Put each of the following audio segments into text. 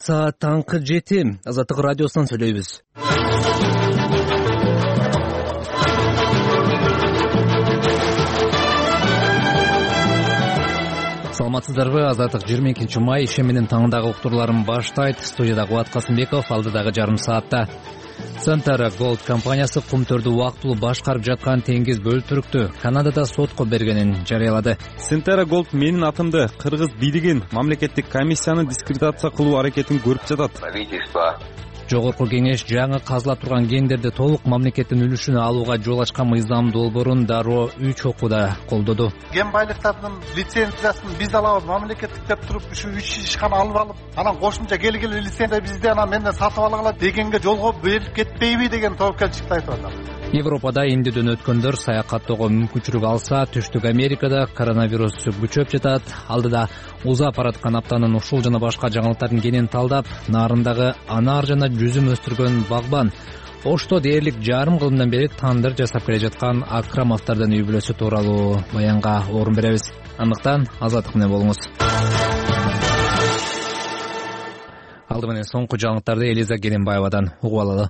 Саат таңкы 7. Азаттык радиосунан сүйлөйбүз. Саламатсыздарбы? Азаттык 22 май иши менен таңдагы уктурларын баштайт. Студияда Кубат Касымбеков, алдыдагы жарым саатта. Centera Gold компаниясы кумтөрдү убактылуу башкарып жаткан теңиз бөлтүрүктү Канадада сотко бергенин жарыялады. Centera Gold менин атымды кыргыз бийлигин мамлекеттик комиссияны дискредитация кылуу аракетин көрүп жатат. Жогорку кеңеш жаңы казылап турган кендерди толук мамлекеттин үлүшүнө алууга жол ачкан мыйзам долбоорун дароо 3 окууда колдоду. Кен байлыктардын лицензиясын биз алабыз, мамлекеттик деп туруп ушу 3 ишкана алып, анан кошумча келгиле лицензия бизде анан менден сатып алгыла дегенге жолго берип кетпейби деген тобокелчиликти айтып атат. Европада индүүдөн өткөндөр саякаттоого мүмкүнчүлүк алса, Түштүк Америкада коронавирус күчөп жатат. Алдыда узап бараткан аптанын ушул жана башка жаңылыктарын кенен талдап, нарындагы анар жана жүзүм өстүргөн багбан Ошто дээрлик жарым кылымдан бери тандыр жасап келе жаткан Акрамовдордун үй бүлөсү тууралуу баянга орун беребиз. Андыктан азаттык менен болуңуз. Алды менен соңку жаңылыктарды Элиза Керенбаевадан угуп алалы.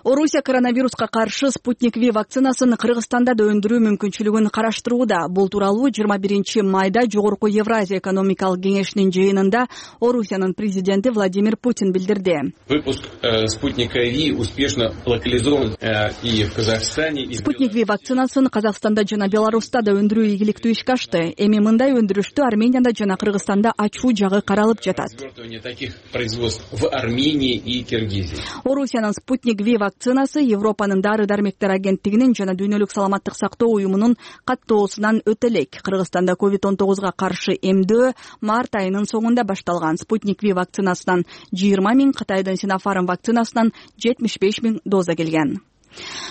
Орусия коронавируска каршы Спутник V вакцинасын Кыргызстанда да өндүрүү мүмкүнчүлүгүн караштырууда. Бул тууралуу 21 майда Жогорку Евразия экономикалык кеңешинин жыйынында Орусиянын президенти Владимир Путин билдирди. Выпуск Спутника V успешно локализован и в Казахстане. Спутник V вакцинасын Казакстанда жана Беларуста да өндүрүү ийгиликтүү ишке ашты. Эми мындай өндүрүштү Арменияда жана Кыргызстанда ачуу жагы каралып жатат. Таких производств в Армении и Киргизии. Орусиянын Спутник V вакцинасы Европанын дары-дармектер агенттигинин жана Дүйнөлүк саламаттык сактоо уюмунун каттоосунан өтө элек. Кыргызстанда COVID-19 каршы эмдөө март айынын соңунда башталган. Спутник V вакцинасынан 20 000, Кытайдын Sinopharm вакцинасынан 75 000 доза келген.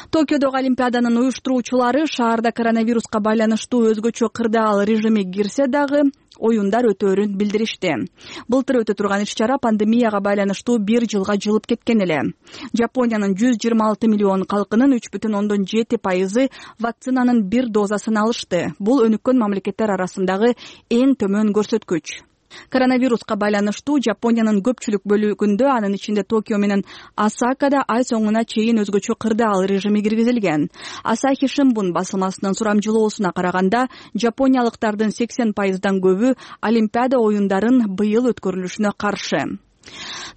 Токиодогу Олимпиаданын уюштуруучулары шаарда коронавируска байланыштуу өзгөчө кырдаал режими кирсе дагы оюндар өтөөрүн билдиришти. Былтыр өтө турган иш-чара пандемияга байланыштуу 1 жылга жылып кеткен эле. Жапониянын 126 миллион калкынын 3,7% вакцинанын 1 дозасын алышты. Бул өнүккөн мамлекеттер арасындагы эң төмөн көрсөткүч. Коронавируска байланыштуу Жапониянын көпчүлүк бөлүгүндө, анын ичинде Токио менен Осакада ай соңуна чейин өзгөчө кырдаал режими киргизилген. Asahi Shimbun басылмасынын сурамжылоосуна караганда, жапониялыктардын 80%дан көбү Олимпиада оюндарын быйыл өткөрүлүшүнө каршы.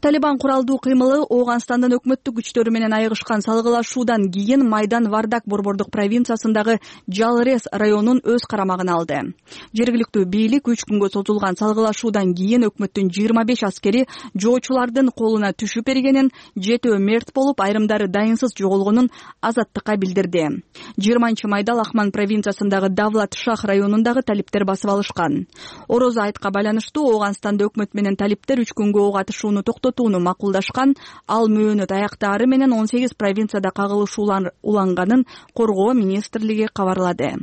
Талибан куралдуу кыймылы Ооганстандын өкмөттүк күчтөрү менен айыгышкан салгылашуудан кийин Майдан Вардак борбордук провинциясындагы Жалрес районун өз карамагына алды. Жергиликтүү бийлик 3 күнгө созулган салгылашуудан кийин өкмөттүн 25 аскери жоочулардын колуна түшүп бергенин, 7 мерт болуп, айрымдары дайынсыз жоголгонун азаттыкка билдирди. 20 майда Лахман провинциясындагы Давлат Шах районундагы талиптер басып алышкан. Орозо айтка байланыштуу Ооганстанда өкмөт менен талиптер 3 күнгө ок атышууну токтотууну макулдашкан. Ал мөөнөт аяктаары менен 18 провинцияда кагылышуулар уланганын коргоо министрлиги кабарлады.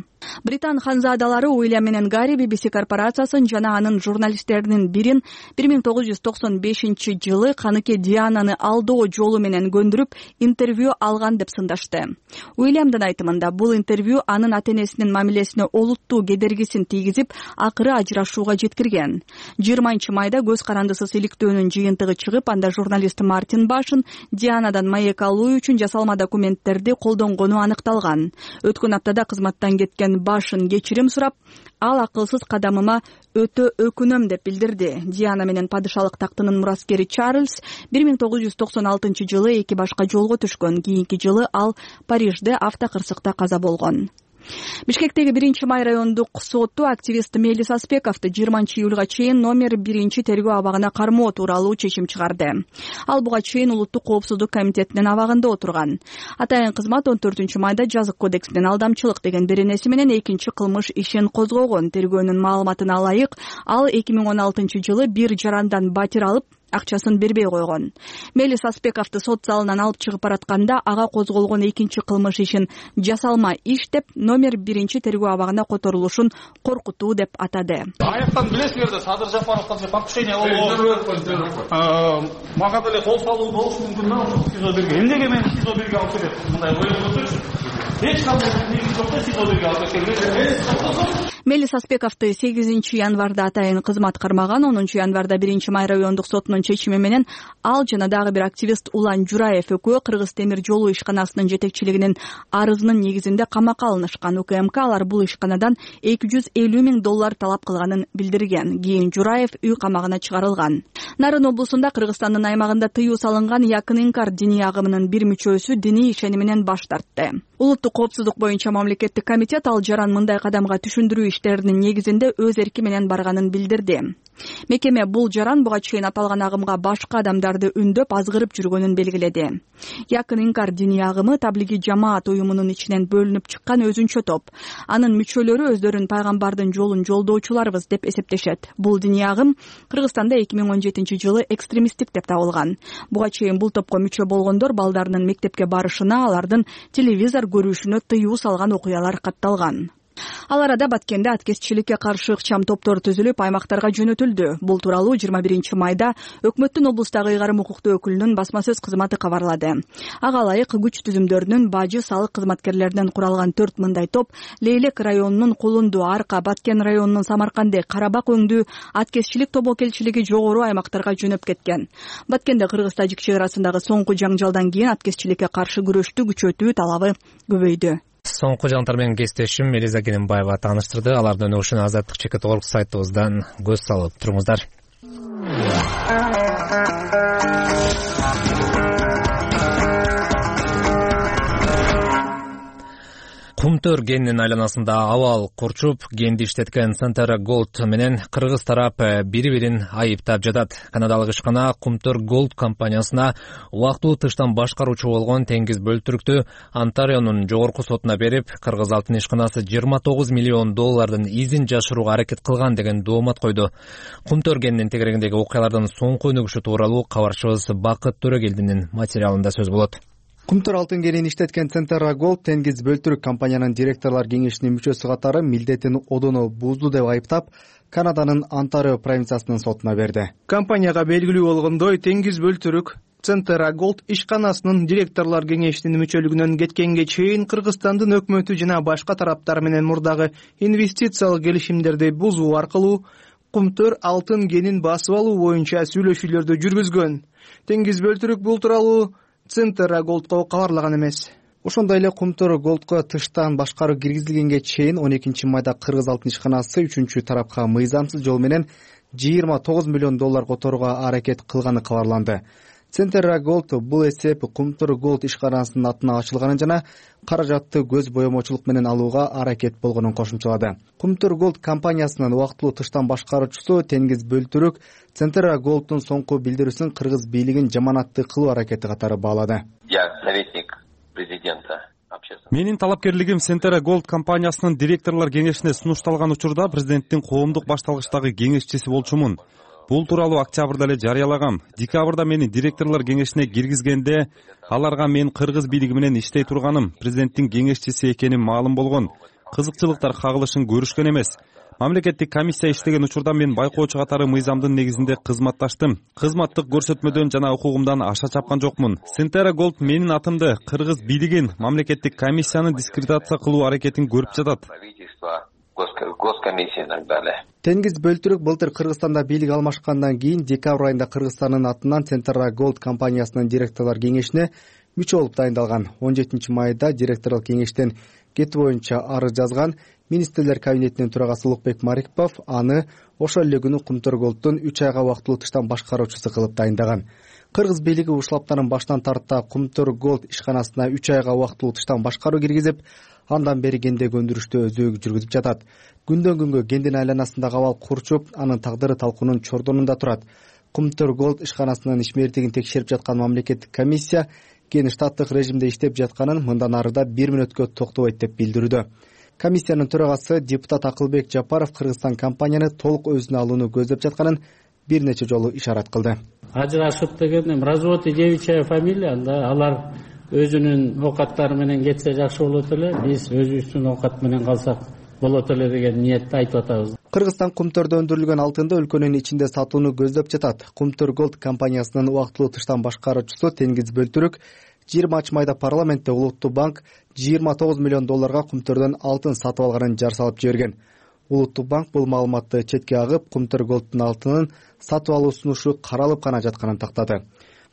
Британ ханзадалары Уильям менен Гарри BBC корпорациясын жана анын журналисттеринин бирин 1995 жылы каныке Диананы алдоо жолу менен көндүрүп интервью алган деп сындашты. Уильямдын айтымында бул интервью анын ата-энесинин мамилесине олуттуу кедергисин тийгизип, акыры ажырашууга жеткирген. 20 майда көз карандысыз иликтөөнүн жыйынтыгы чыгып, анда журналист Мартин Башын Дианадан маек алуу үчүн жасалма документтерди колдонгону аныкталган. Өткөн аптада кызматтан кеткен Башын кечирим сурап, ал акылсыз кадамыма өтө өкүнөм деп билдирди. Диана менен падышалык тактынын мураскери Чарльз 1996 жылы эки башка жолго түшкөн. Кийинки жылы ал Парижде автокырсыкта каза болгон. Бишкектеги 1 май райондук соту активист Мелис Аспековду 20 июлга чейин номер 1 тергөө абагына кармоо тууралуу чечим чыгарды. Ал буга чейин улуттук коопсуздук комитетинин абагында отурган. Атайын кызмат 14 майда жазык кодексинин алдамчылык деген беренеси менен экинчи кылмыш ишин козгогон. Тергөөнүн маалыматына ылайык, ал 2016 жылы бир жарандан батир алып, акчасын бербей койгон. Мелис Аспековду сот залынан алып чыгып баратканда ага козголгон экинчи кылмыш ишин жасалма иш деп, номер 1 тергөө абагына которулушун коркутуу деп атады. Аяктан билесиңер да Садыр Жапаровго покушение болгон. Мага деле кол салуу болуш мүмкүн да, СИЗО берге. Эмнеге мени СИЗО берге алып келет? Мындай ой болсочу. Эч кандай негиз жок да СИЗО берге алып келет. Мелис Аспековду 8 январда атайын кызмат кармаган. 10 январда 1 май райондук сотунун чечими менен ал жана дагы бир активист Улан Жураев экөө Кыргыз темир жолу ишканасынын жетекчилигинин арызынын негизинде камакка алынышкан. УКМК алар бул ишканадан $250,000 талап кылганын билдирген. Кийин Жураев үй камагына чыгарылган. Нарын облусунда Кыргызстандын аймагында тыюу салынган Якын Инкар диний агымынын бир мүчөсү диний ишени менен баш тартты. Улуттук коопсуздук боюнча мамлекеттик комитет ал жаран мындай кадамга түшүндүрүү иштеринин негизинде өз эрки менен барганын билдирди. Мекеме бул жаран буга чейин аталган агымга башка адамдарды үндөп азгырып жүргөнүн белгиледи. Якын Инкар диний агымы таблиги жамаат уюмунун ичинен бөлүнүп чыккан өзүнчө топ. Анын мүчөлөрү өздөрүн пайгамбардын жолун жолдоочуларбыз деп эсептешет. Бул диний агым Кыргызстанда 2017-жылы экстремисттик деп табылган. Буга чейин бул топко мүчө болгондор балдарынын мектепке барышына, алардын телевизор көрүшүнө тыюу салган окуялар катталган. Ал арада Баткенде аткезчиликке каршы ыкчам топтор түзүлүп, аймактарга жөнөтүлдү. Бул тууралуу 21 майда өкмөттүн облустагы ыйгарым укуктуу өкүлүнүн басма сөз кызматы кабарлады. Ага ылайык күч түзүмдөрүнүн бажы салык кызматкерлеринен куралган 4 мындай топ Лейлек районунун Кулунду, Арка, Баткен районунун Самарканды, Карабак өңдүү аткезчилик тобокелчилиги жогору аймактарга жөнөп кеткен. Баткенде Кыргыз-Тажик чек арасындагы соңку жаңжалдан кийин аткезчиликке каршы күрөштү күчөтүү талабы көбөйдү. Соңку жаңалыктар менен кесиптешим Элиза Кененбаева тааныштырды. Алардын өнүгүшүнө Азаттык ЧК.org сайтыбыздан көз салып туруңуздар. Кумтөр кенинин айланасында абал курчуп, кенди иштеткен Centera Gold менен кыргыз тарап бири-бирин айыптап жатат. Канадалык ишкана Кумтөр Gold компаниясына убактылуу тыштан башкаруучу болгон Теңиз Бөлтүрүктү Онтарионун жогорку сотуна берип, Кыргыз алтын ишканасы $29 миллион изин жашырууга аракет кылган деген доомат койду. Кумтөр кенинин тегерегиндеги окуялардын соңку өнүгүшү тууралуу кабарчыбыз Бакыт Төрөгелдинин материалында сөз болот. Кумтөр алтын кенин иштеткен Centera Gold Теңиз Бөлтүрүк компаниянын директорлор кеңешинин мүчөсү катары милдетин одоно бузду деп айыптап, Канаданын Онтарио провинциясынын сотуна берди. Компанияга белгилүү болгондой, Теңиз Бөлтүрүк Centera Gold ишканасынын директорлор кеңешинин мүчөлүгүнөн кеткенге чейин Кыргызстандын өкмөтү жана башка тараптар менен мурдагы инвестициялык келишимдерди бузуу аркылуу Кумтөр алтын кенин басып алуу боюнча сүйлөшүүлөрдү жүргүзгөн. Теңиз Бөлтүрүк бул тууралуу Centera Gold'го кабарлаган эмес. Ошондой эле Кумтөр Gold'го тыштан башкаруу киргизилгенге чейин 12 майда Кыргыз алтын ишканасы 3 тарапка мыйзамсыз жол менен $29 миллион которууга аракет кылганы кабарланды. Centera Gold бул эсеп Кумтөр Gold ишканасынын атына ачылганын жана каражатты көз боемочулук менен алууга аракет болгонун кошумчалады. Кумтөр Gold компаниясынын убактылуу тыштан башкаруучусу Теңиз Бөлтүрүк Centera Gold'ун соңку билдирүүсүн Кыргыз бийлигин жаманатты кылуу аракети катары баалады. Я советник президента. Менин талапкерлигим Centera Gold компаниясынын директорлор кеңешине сунушталган учурда президенттин коомдук башталгычтагы кеңешчиси болчумун. Бул тууралуу октябрда эле жарыялагам. Декабрда мени директорлор кеңешине киргизгенде аларга мен Кыргыз бийлиги менен иштей турганым, президенттин кеңешчиси экеним маалым болгон. Кызыкчылыктар кагылышын көрүшкөн эмес. Мамлекеттик комиссия иштеген учурда мен байкоочу катары мыйзамдын негизинде кызматташтым. Кызматтык көрсөтмөдөн жана укугумдан аша чапкан жокмун. Centera Gold менин атымды Кыргыз бийлигин мамлекеттик комиссияны дискредитация кылуу аракетин көрүп жатат. Теңиз Бөлтүрүк былтыр Кыргызстанда бийлик алмашкандан кийин декабрь айында Кыргызстандын атынан Centera Gold компаниясынын директорлор кеңешине мүчө болуп дайындалган. 17 майда директорлук кеңештен кетүү боюнча арыз жазган. Министрлер кабинетинин төрагасы Улукбек Марипов аны ошол эле күнү Кумтөр Gold'ун 3 айга убактылуу тыштан башкаруучусу кылып дайындаган. Кыргыз бийлиги ушул аптанын башынан тарта Кумтөр Gold ишканасына 3 айга убактылуу тыштан башкаруу киргизип, андан бери кендеги өндүрүштү өзөгү жүргүзүп жатат. Күндөн күнгө кендин айланасындагы абал курчуп, анын тагдыры талкуунун чордонунда турат. Кумтөр Gold ишканасынын ишмердигин текшерип жаткан мамлекеттик комиссия кен штаттык режимде иштеп жатканын мындан арыда 1 мүнөткө токтобойт деп билдирүүдө. Комиссиянын төрагасы депутат Акылбек Жапаров Кыргызстан компанияны толук өзүнө алууну көздөп жатканын бир нече жолу ишарат кылды. Ажырашып деген развод девичья фамилия, алар өзүнүн оокаттары менен кетсе жакшы болот эле, биз өзүбүздүн оокат менен калсак болот эле деген ниетте айтып атабыз. Кыргызстан Кумтөрдө өндүрүлгөн алтынды өлкөнүн ичинде сатууну көздөп жатат. Кумтөр Gold компаниясынын убактылуу тыштан башкаруучусу Теңиз Бөлтүрүк 20 майда парламентте Улуттук банк $29 миллион Кумтөрдөн алтын сатып алганын жар салып жиберген. Улуттук банк бул маалыматты четке агып, Кумтөр Голдтун алтынын сатып алуу сунушу каралып гана жатканын тактады.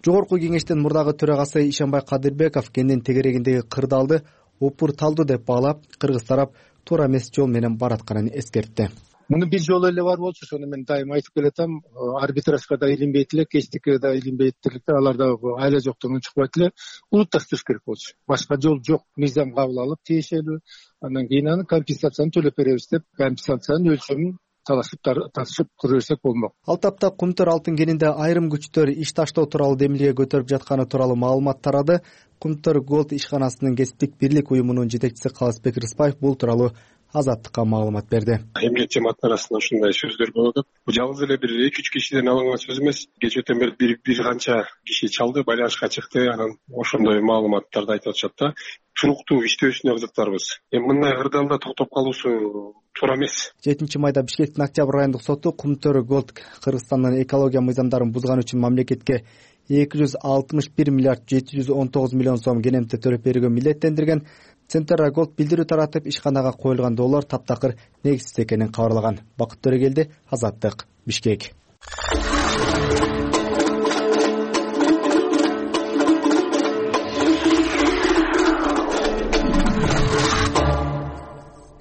Жогорку кеңештин мурдагы төрагасы Ишанбай Кадырбеков кендин тегерегиндеги кырдаалды опурталдуу деп баалап, кыргыз тарап туура эмес жол менен баратканын эскертти. Муну бир жолу эле бар болчу, ошону мен дайым айтып келатам. Арбитражга да илинбейт эле, кечтикке да илинбейт эле, аларда айла жоктугунан чыкпайт эле. Улутташтырыш керек болчу. Башка жол жок. Мыйзам кабыл алып, тиешелүү. Андан кийин аны компенсацияны төлөп беребиз деп, компенсациянын өлчөмүн тартышып тура берсек болмок. Ал тапта Кумтөр алтын кенинде айрым күчтөр иш таштоо тууралуу демилге көтөрүп жатканы тууралуу маалымат тарады. Кумтөр Голд ишканасынын кесиптик бирлик уюмунун жетекчиси Калысбек Рыспаев бул тууралуу Азаттыкка маалымат берди. Эмгек жамааттын арасында ушундай сөздөр болуп атат. Бул жалгыз эле бир 2-3 кишиден алынган сөз эмес. Кечээден бери бир канча киши чалды, байланышка чыкты, анан ошондой маалыматтарды айтып атышат да. Туруктуу иштөөсүнө кызыктарбыз. Мындай кырдаалда токтоп калуусу туура эмес. 7-майда Бишкектин Октябрь райондук соту Кумтөр Голд Кыргызстандын экология мыйзамдарын бузган үчүн мамлекетке 261 миллиард 719 миллион сом кенемте төлөп берүүгө милдеттендирген. Центра Голд билдирүү таратып, ишканага коюлган доллар таптакыр негизсиз экенин кабарлаган. Бакыт Төрөгелди, Азаттык, Бишкек.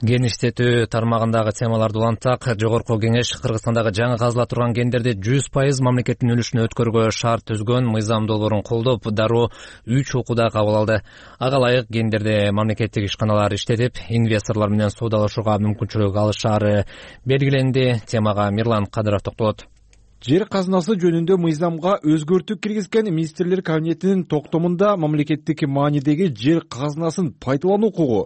Ген иштетүү тармагындагы темаларды улантсак, Жогорку Кеңеш Кыргызстандагы жаңы казыла турган гендерди 100% мамлекеттин үлүшүнө өткөрүүгө шарт түзгөн мыйзам долбоорун колдоп, дароо 3 окууда кабыл алды. Ага ылайык гендерди мамлекеттик ишканалар иштетип, инвесторлор менен соодалашууга мүмкүнчүлүк алышаары белгиленди. Темага Мирлан Кадыров токтолот. Жер казынасы жөнүндө мыйзамга өзгөртүү киргизген министрлер кабинетинин токтомунда мамлекеттик маанидеги жер казынасын пайдалануу укугу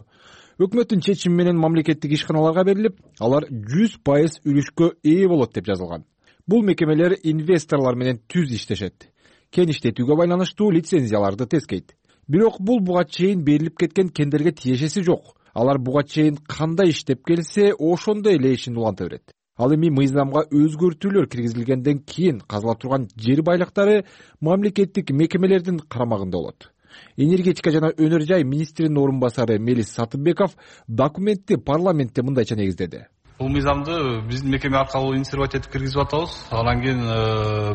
өкмөттүн чечими менен мамлекеттик ишканаларга берилип, алар 100% үлүшкө ээ болот деп жазылган. Бул мекемелер инвесторлор менен түз иштешет. Кен иштетүүгө байланыштуу лицензияларды тескейт. Бирок бул буга чейин берилип кеткен кендерге тиешеси жок. Алар буга чейин кандай иштеп келсе, ошондой эле ишин уланта берет. Ал эми мыйзамга өзгөртүүлөр киргизилгенден кийин казыла турган жер байлыктары мамлекеттик мекемелердин карамагында болот. Энергетика жана өнөр жай министринин орун басары Мелис Сатыбеков документти парламентте мындайча негиздеди. Бул мыйзамды биздин мекеме аркылуу инициатива этип киргизип атабыз. Анан кийин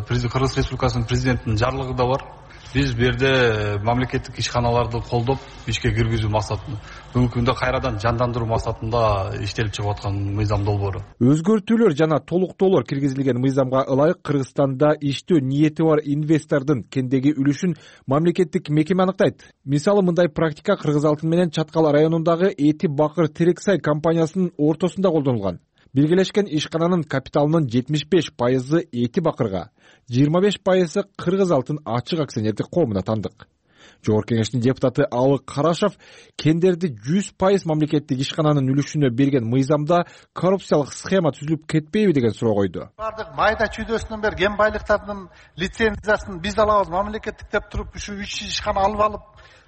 Кыргыз Республикасынын президентинин жарлыгы да бар. Биз бу жерде мамлекеттик ишканаларды колдоп, ишке киргизүү максатында, бүгүнкү күндө кайрадан жандандыруу максатында иштелип чыгып аткан мыйзам долбоору. Өзгөртүүлөр жана толуктоолор киргизилген мыйзамга ылайык Кыргызстанда иштөө ниети бар инвестордун кендеги үлүшүн мамлекеттик мекеме аныктайт. Мисалы, мындай практика Кыргыз алтын менен Чаткал районундагы Эти Бакыр Терексай компаниясынын ортосунда колдонулган. Белгилешкен ишкананын капиталынын 75% Эти Бакырга, 25% Кыргыз алтын ачык акционердик коомуна тандык. Жогорку Кеңештин депутаты Алык Карашев кендерди 100% мамлекеттик ишкананын үлүшүнө берген мыйзамда коррупциялык схема түзүлүп кетпейби деген суроо койду. Бардык майда чүйдөсүнөн бери кен байлыктардын лицензиясын биз алабыз мамлекеттик деп туруп, ушу 3 ишкана алып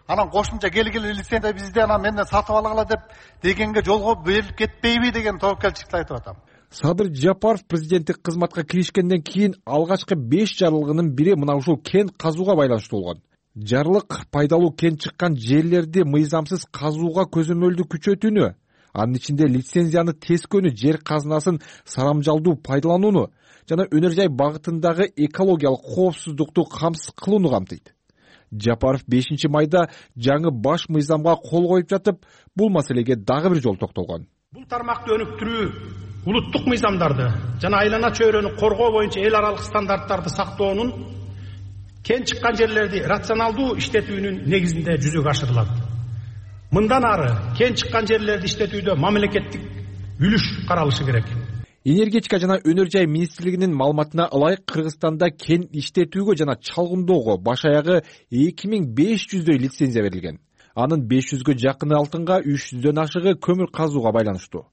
анан кошумча келгиле лицензия бизде, анан менден сатып алгыла деп дегенге жолго берилип кетпейби деген тобокелчиликти айтып атам. Садыр Жапаров президенттик кызматка киришкенден кийин алгачкы 5 жарлыгынын бири мына ушул кен казууга байланыштуу болгон. Жарлык пайдалуу кен чыккан жерлерди мыйзамсыз казууга көзөмөлдү күчөтүүнү, анын ичинде лицензияны тескөөнү, жер казынасын сарамжалдуу пайдаланууну жана өнөр жай багытындагы экологиялык коопсуздукту камсыз кылууну камтыйт. Жапаров 5-майда жаңы баш мыйзамга кол коюп жатып, бул маселеге дагы бир жолу токтолгон. Бул тармакты өнүктүрүү, улуттук мыйзамдарды жана айлана чөйрөнү коргоо боюнча эл аралык стандарттарды сактоонун, кен чыккан жерлерди рационалдуу иштетүүнүн негизинде жүзөгө ашырылат. Мындан ары кен чыккан жерлерди иштетүүдө мамлекеттик үлүш каралышы керек. Энергетика жана өнөр жай министрлигинин маалыматына ылайык Кыргызстанда кен иштетүүгө жана чалгындоого баш аягы 2500дөй лицензия берилген. Анын 500гө жакыны алтынга, 300дөн ашыгы көмүр казууга байланыштуу.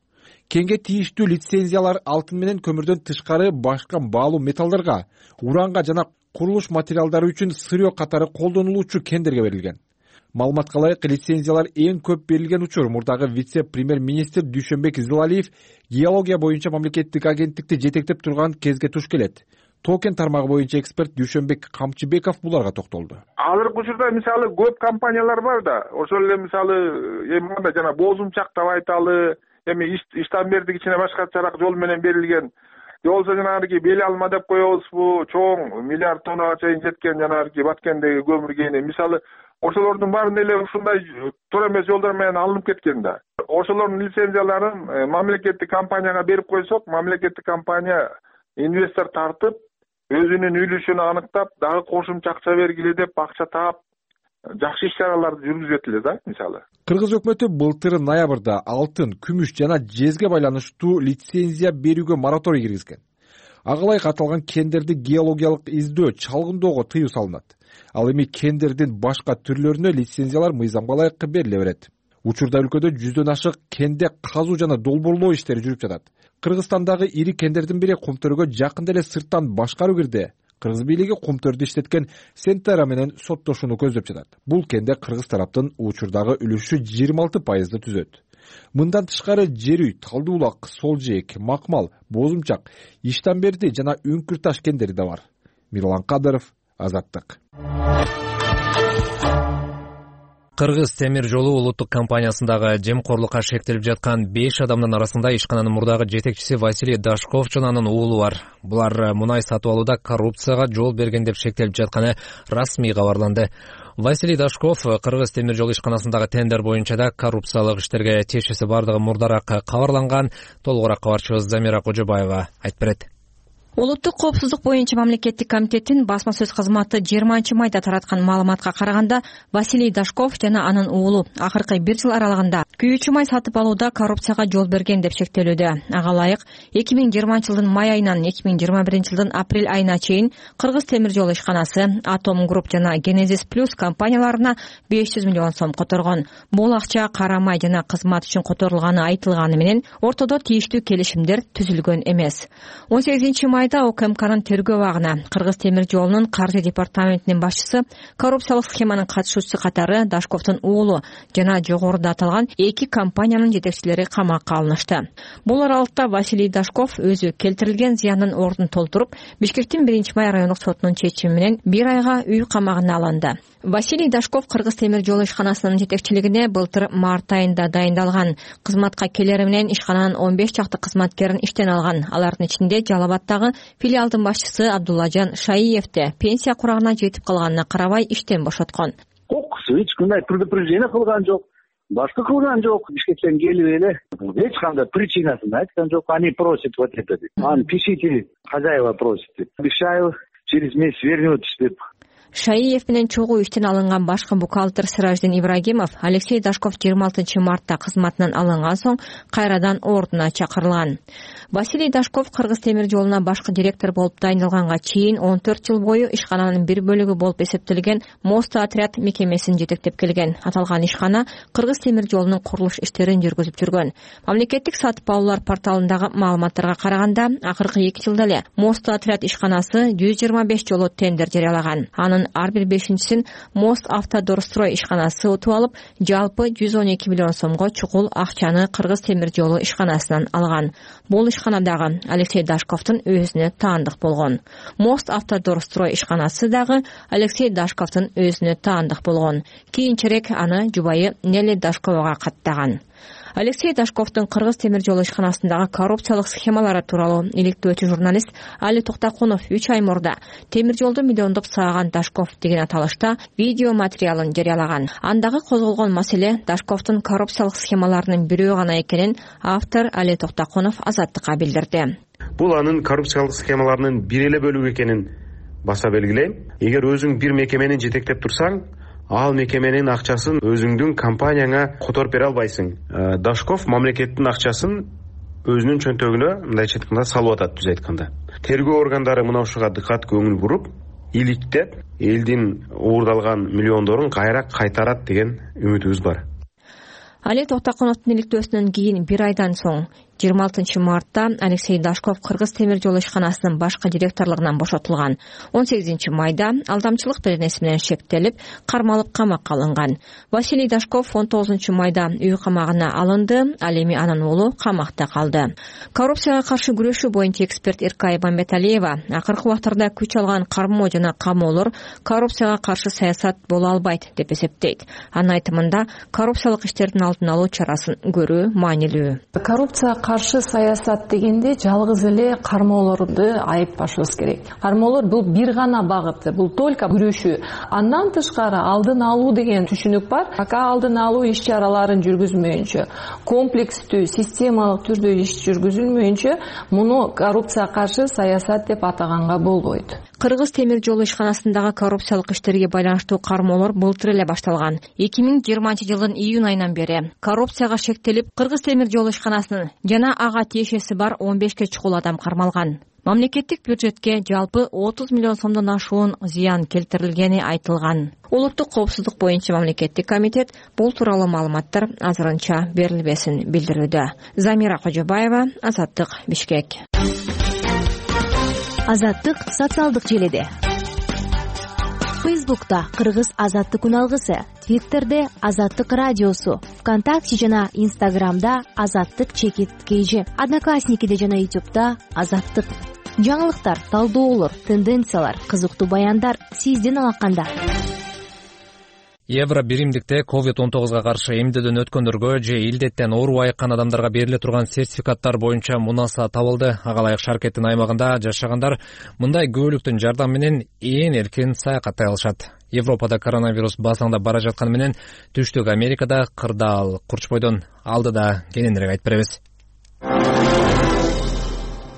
Кенге тийиштүү лицензиялар алтын менен көмүрдөн тышкары башка баалуу металлдарга, уранга жана курулуш материалдары үчүн сырьё катары колдонулуучу кендерге берилген. Маалыматка ылайык лицензиялар эң көп берилген учур мурдагы вице-премьер-министр Дүйшөнбек Зылалиев геология боюнча мамлекеттик агенттикти жетектеп турган кезге туш келет. Токен тармагы боюнча эксперт Дүйшөнбек Камчыбеков буларга токтолду. Азыркы учурда мисалы көп компаниялар бар да, ошол эле мисалы жана боозумчак деп айталы, эми иштан кичине башкачараак жол менен берилген же болбосо жанагы бели алма деп коебузбу, чоң миллиард тоннага чейин жеткен жанагы Баткендеги көмүр кени. Мисалы ошолордун баарын эле ушундай туура эмес жолдор менен алынып кеткен да. Ошолордун лицензияларын мамлекеттик компанияга берип койсок, мамлекеттик компания инвестор тартып, өзүнүн үлүшүн аныктап, дагы кошумча акча бергиле деп акча таап, жакшы иш-чараларды жүргүзүп эле да, мисалы. Кыргыз өкмөтү былтыр ноябрда алтын, күмүш жана жезге байланыштуу лицензия берүүгө мораторий киргизген. Ага ылайык аталган кендерди геологиялык издөө, чалгындоого тыюу салынат. Ал эми кендердин башка түрлөрүнө лицензиялар мыйзамга ылайык бериле берет. Учурда өлкөдө 100дөн ашык кенде казуу жана долбоорлоо иштери жүрүп жатат. Кыргызстандагы ири кендердин бири Кумтөргө жакында эле сырттан башкаруу кирди. Кыргыз бийлиги Кумтөрдү иштеткен Сентера менен соттошууну көздөп жатат. Бул кенде кыргыз тараптын учурдагы үлүшү 26% түзөт. Мындан тышкары жер үй, Талдуулак, Солжээк, Макмал, Бозумчак, Иштанберди жана Үңкүр таш кендери да бар. Мирлан Кадыров, Азаттык. Кыргыз темир жолу улуттук компаниясындагы жемкорлукка шектелип жаткан 5 адамдын арасында ишкананын мурдагы жетекчиси Василий Дашков жана анын уулу бар. Булар мунай сатып алууда коррупцияга жол берген деп шектелип жатканы расмий кабарланды. Василий Дашков Кыргыз темир жол ишканасындагы тендер боюнча да коррупциялык иштерге тиешеси бардыгы мурдараак кабарланган. Толугураак кабарчыбыз Замира Кожобаева айтып берет. Улуттук коопсуздук боюнча мамлекеттик комитеттин басма сөз кызматы 20-майда тараткан маалыматка караганда, Василий Дашков жана анын уулу акыркы 1 жыл аралыгында күйүүчү май сатып алууда коррупцияга жол берген деп шектелүүдө. Ага ылайык 2020-жылдын май айынан 2021-жылдын апрель айына чейин Кыргыз темир жол ишканасы, Атом Групп жана Генезис Плюс компанияларына 500 миллион сом которгон. Бул акча кара май жана кызмат үчүн которулганы айтылганы менен ортодо тийиштүү келишимдер түзүлгөн эмес. 18-майда ОКМКнын тергөө абагына Кыргыз темир жолунун каржы департаментинин башчысы, коррупциялык схеманын катышуучусу катары Дашковдун уулу жана жогоруда аталган 2 компаниянын жетекчилери камакка алынышты. Бул аралыкта Василий Дашков өзү келтирилген зыяндын ордун толтуруп, Бишкектин 1-май райондук сотунун чечими менен 1 айга үй камагына алынды. Василий Дашков Кыргыз темир жол ишканасынын жетекчилигине былтыр март айында дайындалган. Кызматка келери менен ишкананын 15 чакты кызматкерин иштен алган. Алардын ичинде Жалал Абаддагы филиалдын башчысы Абдуллажан Шаиевди пенсия курагына жетип калганына карабай иштен бошоткон. Эч кандай предупреждение кылган жок, башка кылган жок. Бишкектен келип эле эч кандай причинасын айткан жок. Они просят вот это деп. Пишите, хозяева просит деп. Обещаю, через месяц вернетесь деп. Шаиев менен чогуу иштен алынган башкы бухгалтер Сираждин Ибрагимов Алексей Дашков 26-мартта кызматынан алынган соң кайрадан ордуна чакырылган. Василий Дашков Кыргыз темир жолуна башкы директор болуп дайындалганга чейин 14 жыл бою ишкананын бир бөлүгү болуп эсептелген Мост отряд мекемесин жетектеп келген. Аталган ишкана Кыргыз темир жолунун курулуш иштерин жүргүзүп жүргөн. Мамлекеттик сатып алуулар порталындагы маалыматтарга караганда, акыркы 2 жылда эле Мост отряд ишканасы 125 жолу тендер жарыялаган. Анын ар бир 5-син Мост Автодорстрой ишканасы утуп алып, жалпы 112 миллион сомго чукул акчаны Кыргыз темир жолу ишканасынан алган. Бул ишканадагы Алексей Дашковдун өзүнө таандык болгон. Мост Автодорстрой ишканасы дагы Алексей Дашковдун өзүнө таандык болгон. Кийинчерээк аны жубайы Нелли Дашковага каттаган. Алексей Дашковдун Кыргыз темир жолу ишканасындагы коррупциялык схемалары тууралуу иликтөөчү журналист Али Токтакунов 3 ай мурда темир жолду миллиондоп сааган Дашков деген аталышта видео материалын жарыялаган. Андагы козголгон маселе Дашковдун коррупциялык схемаларынын бирөө гана экенин автор Али Токтакунов Азаттыкка билдирди. Бул анын коррупциялык схемаларынын бир эле бөлүгү экенин баса белгилейм. Эгер өзүң бир мекемени жетектеп турсаң, ал мекеменин акчасын өзүңдүн компанияңа которуп бере албайсың. Дашков мамлекеттин акчасын өзүнүн чөнтөгүнө мындайча айтканда салып атат, түз айтканда. Тергөө органдары мына ушуга дыкат көңүл буруп, иликтеп, элдин уурдалган миллиондорун кайра кайтарат деген үмүтүбүз бар. Али Токтакуновдун иликтөөсүнөн кийин 1 айдан соң 26 Алексей Дашков Кыргыз темир жол ишканасынын башкы директорлугунан бошотулган. 18 майда алдамчылык беренеси менен шектелип, кармалып камакка алынган. Василий Дашков 19 майда үй камагына алынды, ал эми анын уулу камакта калды. Коррупцияга каршы күрөшүү боюнча эксперт Эркай Мамбеталиева акыркы убактарда күч алган кармоо жана камоолор коррупцияга каршы саясат боло албайт деп эсептейт. Анын айтымында коррупциялык иштердин алдын алуу чарасын көрүү маанилүү. Коррупцияга каршы саясат дегенде жалгыз эле кармоолорду айыппашыбыз керек. Кармоолор бул бир гана багыты, бул только күрөшүү. Андан тышкары алдын алуу деген түшүнүк бар. Пока алдын алуу иш-чараларын жүргүзмөйүнчө, комплекстүү, системалык түрдө иш жүргүзүлмөйүнчө, муну коррупцияга каршы саясат деп атаганга болбойт. Кыргыз темир жол ишканасындагы коррупциялык иштерге байланыштуу кармоолор былтыр эле башталган. 2020 жылдын июнь айынан бери коррупцияга шектелип, Кыргыз темир жол ишканасынын жана ага тиешеси бар 15 чукул адам кармалган. Мамлекеттик бюджетке жалпы 30 миллион сомдон ашуун зыян келтирилгени айтылган. Улуттук коопсуздук боюнча мамлекеттик комитет бул тууралуу маалыматтар азырынча берилбесин билдирүүдө. Замира Кожобаева, Азаттык, Бишкек. Азаттык социалдык желиде. Фейсбукта Кыргыз Азаттык үналгысы, Твиттерде Азаттык радиосу, ВКонтакте жана Инстаграмда Азаттык чекит кейжи, Одноклассникиде жана Ютубта Азаттык. Жаңылыктар, талдоолор, тенденциялар, кызыктуу баяндар сиздин алаканда. Евро биримдикте COVID-19 каршы эмдөөдөн өткөндөргө же илдеттен оору айыккан адамдарга бериле турган сертификаттар боюнча мунаса табылды. Ага ылайык шаркеттин аймагында жашагандар мындай көбөлүктүн жардамы менен ээн эркин саякаттай алышат. Европада коронавирус басаңдап бара жатканы менен Түштүк Америкада кырдаал Курчбойдон алдыда кененирээк айтып беребиз.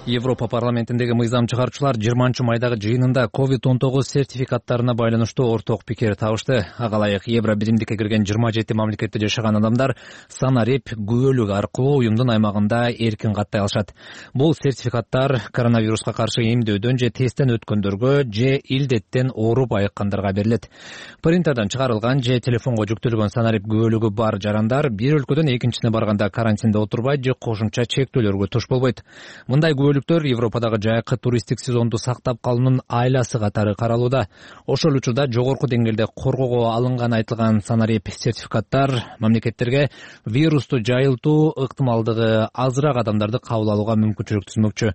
Европа парламентиндеги мыйзам чыгаруучулар 20 майдагы жыйынында COVID-19 сертификаттарына байланыштуу орток пикир табышты. Ага ылайык евро биримдикке кирген 27 мамлекетте жашаган адамдар санарип күбөлүк аркылуу уюмдун аймагында эркин каттай алышат. Бул сертификаттар коронавируска каршы эмдөөдөн же тесттен өткөндөргө же илдеттен ооруп айыккандарга берилет. Принтерден чыгарылган же телефонго жүктөлгөн санарип күбөлүгү бар жарандар бир өлкөдөн экинчисине барганда карантинде отурбайт же кошумча чектөөлөргө туш болбойт. Мындай Европадагы жайкы туристтик сезонду сактап калуунун айласы катары каралууда. Ошол учурда жогорку деңгээлде коргоого алынган айтылган санарип сертификаттар мамлекеттерге вирусту жайылтуу ыктымалдыгы азыраак адамдарды кабыл алууга мүмкүнчүлүк түзмөкчү.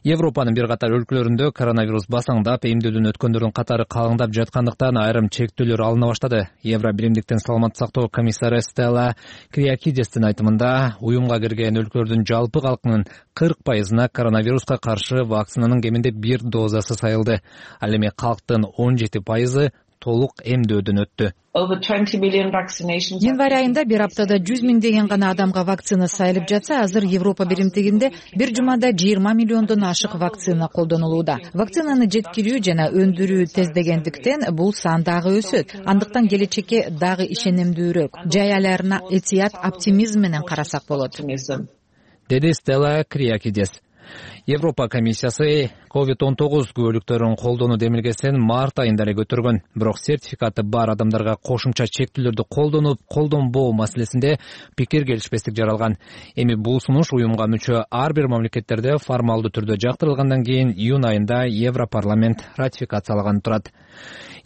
Европанын бир катар өлкөлөрүндө коронавирус басаңдап, эмдөөдөн өткөндөрдүн катары калыңдап жаткандыктан айрым чектөөлөр алына баштады. Евро биримдиктен саламаттык сактоо комиссары Стелла Криакидестин айтымында, уюмга кирген өлкөлөрдүн жалпы калкынын 40%-на коронавируска каршы вакцинанын кеминде бир дозасы сайылды. Ал эми калктын 17% толук эмдөөдөн өттү. Январь айында бир аптада 100 миңдеген гана адамга вакцина сайылып жатса, азыр Европа биримдигинде бир жумада 20 миллиондон ашык вакцина колдонулууда. Вакцинаны жеткирүү жана өндүрүү тездегендиктен бул сан дагы өсөт. Андыктан келечекке дагы ишенимдүүрөөк, жай айларына этият оптимизм менен карасак болот, деди Стелла Криакидес. Европа комиссиясы COVID-19 күбөлүктөрүн колдонуу демилгесин март айында эле көтөргөн. Бирок сертификаты бар адамдарга кошумча чектөөлөрдү колдонуп, колдонбоо маселесинде пикир келишпестик жаралган. Эми бул сунуш уюмга мүчө ар бир мамлекеттерде формалдуу түрдө жактырылгандан кийин июнь айында Европарламент ратификациялаган турат.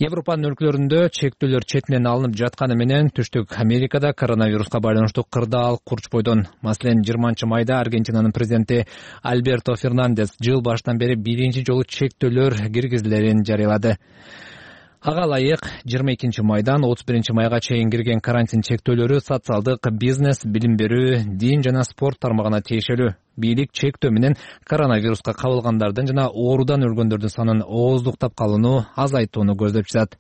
Европанын өлкөлөрүндө чектөөлөр четинен алынып жатканы менен Түштүк Америкада коронавируска байланыштуу кырдаал Курчбойдон. Маселен, 20 майда Аргентинанын президенти Альберто Фернандес жыл башынан бери биринчи жолу чектөөлөр киргизилерин жарыялады. Ага ылайык 22 майдан 31 майга чейин кирген карантин чектөөлөрү социалдык, бизнес, билим берүү, дин жана спорт тармагына тиешелүү. Бийлик чектөө менен коронавируска кабылгандардын жана оорудан өлгөндөрдүн санын ооздуктап калууну азайтууну көздөп жатат.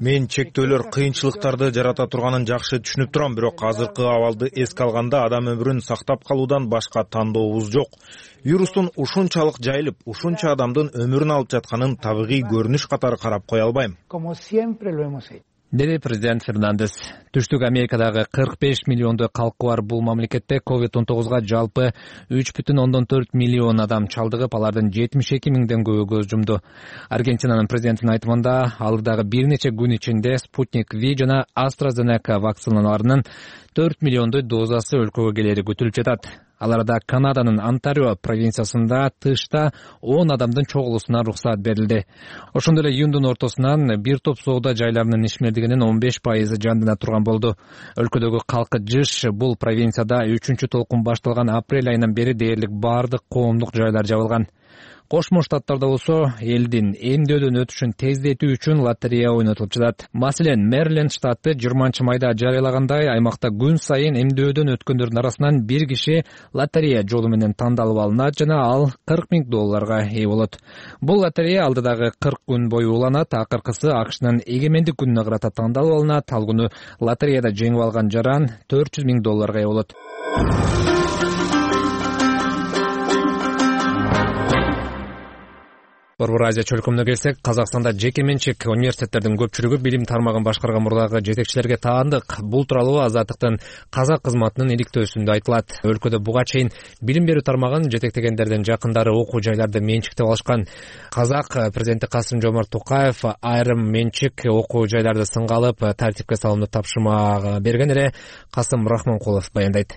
Мен чектөөлөр кыйынчылыктарды жарата турганын жакшы түшүнүп турам, бирок азыркы абалды эске алганда адам өмүрүн сактап калуудан башка тандообуз жок. Вирустун ушунчалык жайылып, ушунча адамдын өмүрүн алып жатканын табигый көрүнүш катары карап кое албайм. деди президент Фернандес. Түштүк Америкадагы 45 миллиондой калкы бар бул мамлекетте COVID-19 жалпы 3,4 миллион адам чалдыгып, алардын 72 миңден көбү көз жумду. Аргентинанын президентинин айтымында, алдыдагы бир нече күн ичинде Спутник V жана AstraZeneca вакциналарынын 4 миллиондой дозасы өлкөгө келери күтүлүп жатат. Аларда Канаданын Онтарио провинциясында тышта 10 адамдын чогулуусуна уруксат берилди. Ошондой эле июндун ортосунан бир топ соода жайларынын ишмердигинин 15% жандана турган болду. Өлкөдөгү калкы жыш бул провинцияда 3-чү толкун башталган апрель айынан бери дээрлик бардык коомдук жайлар жабылган. Кошмо Штаттарда болсо элдин эмдөөдөн өтүшүн тездетүү үчүн лотерея ойнотулуп жатат. Маселен, Мэриленд штаты 20 майда жарыялагандай, аймакта күн сайын эмдөөдөн өткөндөрдүн арасынан бир киши лотерея жолу менен тандалып алынат жана ал $40 000 ээ болот. Бул лотерея алдыдагы 40 күн бою уланат, акыркысы АКШнын эгемендик күнүнө карата тандалып алынат. Ал күнү лотереяда жеңип алган жаран $400 000 ээ болот. Борбор Азия чөлкөмүнө келсек, Казакстанда жеке менчик университеттердин көпчүлүгү билим тармагын башкарган мурдагы жетекчилерге таандык. Бул тууралуу Азаттыктын казак кызматынын иликтөөсүндө айтылат. Өлкөдө буга чейин билим берүү тармагын жетектегендердин жакындары окуу жайларды менчиктеп алышкан. Казак президенти Касым-Жомарт Токаев айрым менчик окуу жайларды сынга алып, тартипке салууну тапшырма берген эле. Касым Рахманкулов баяндайт.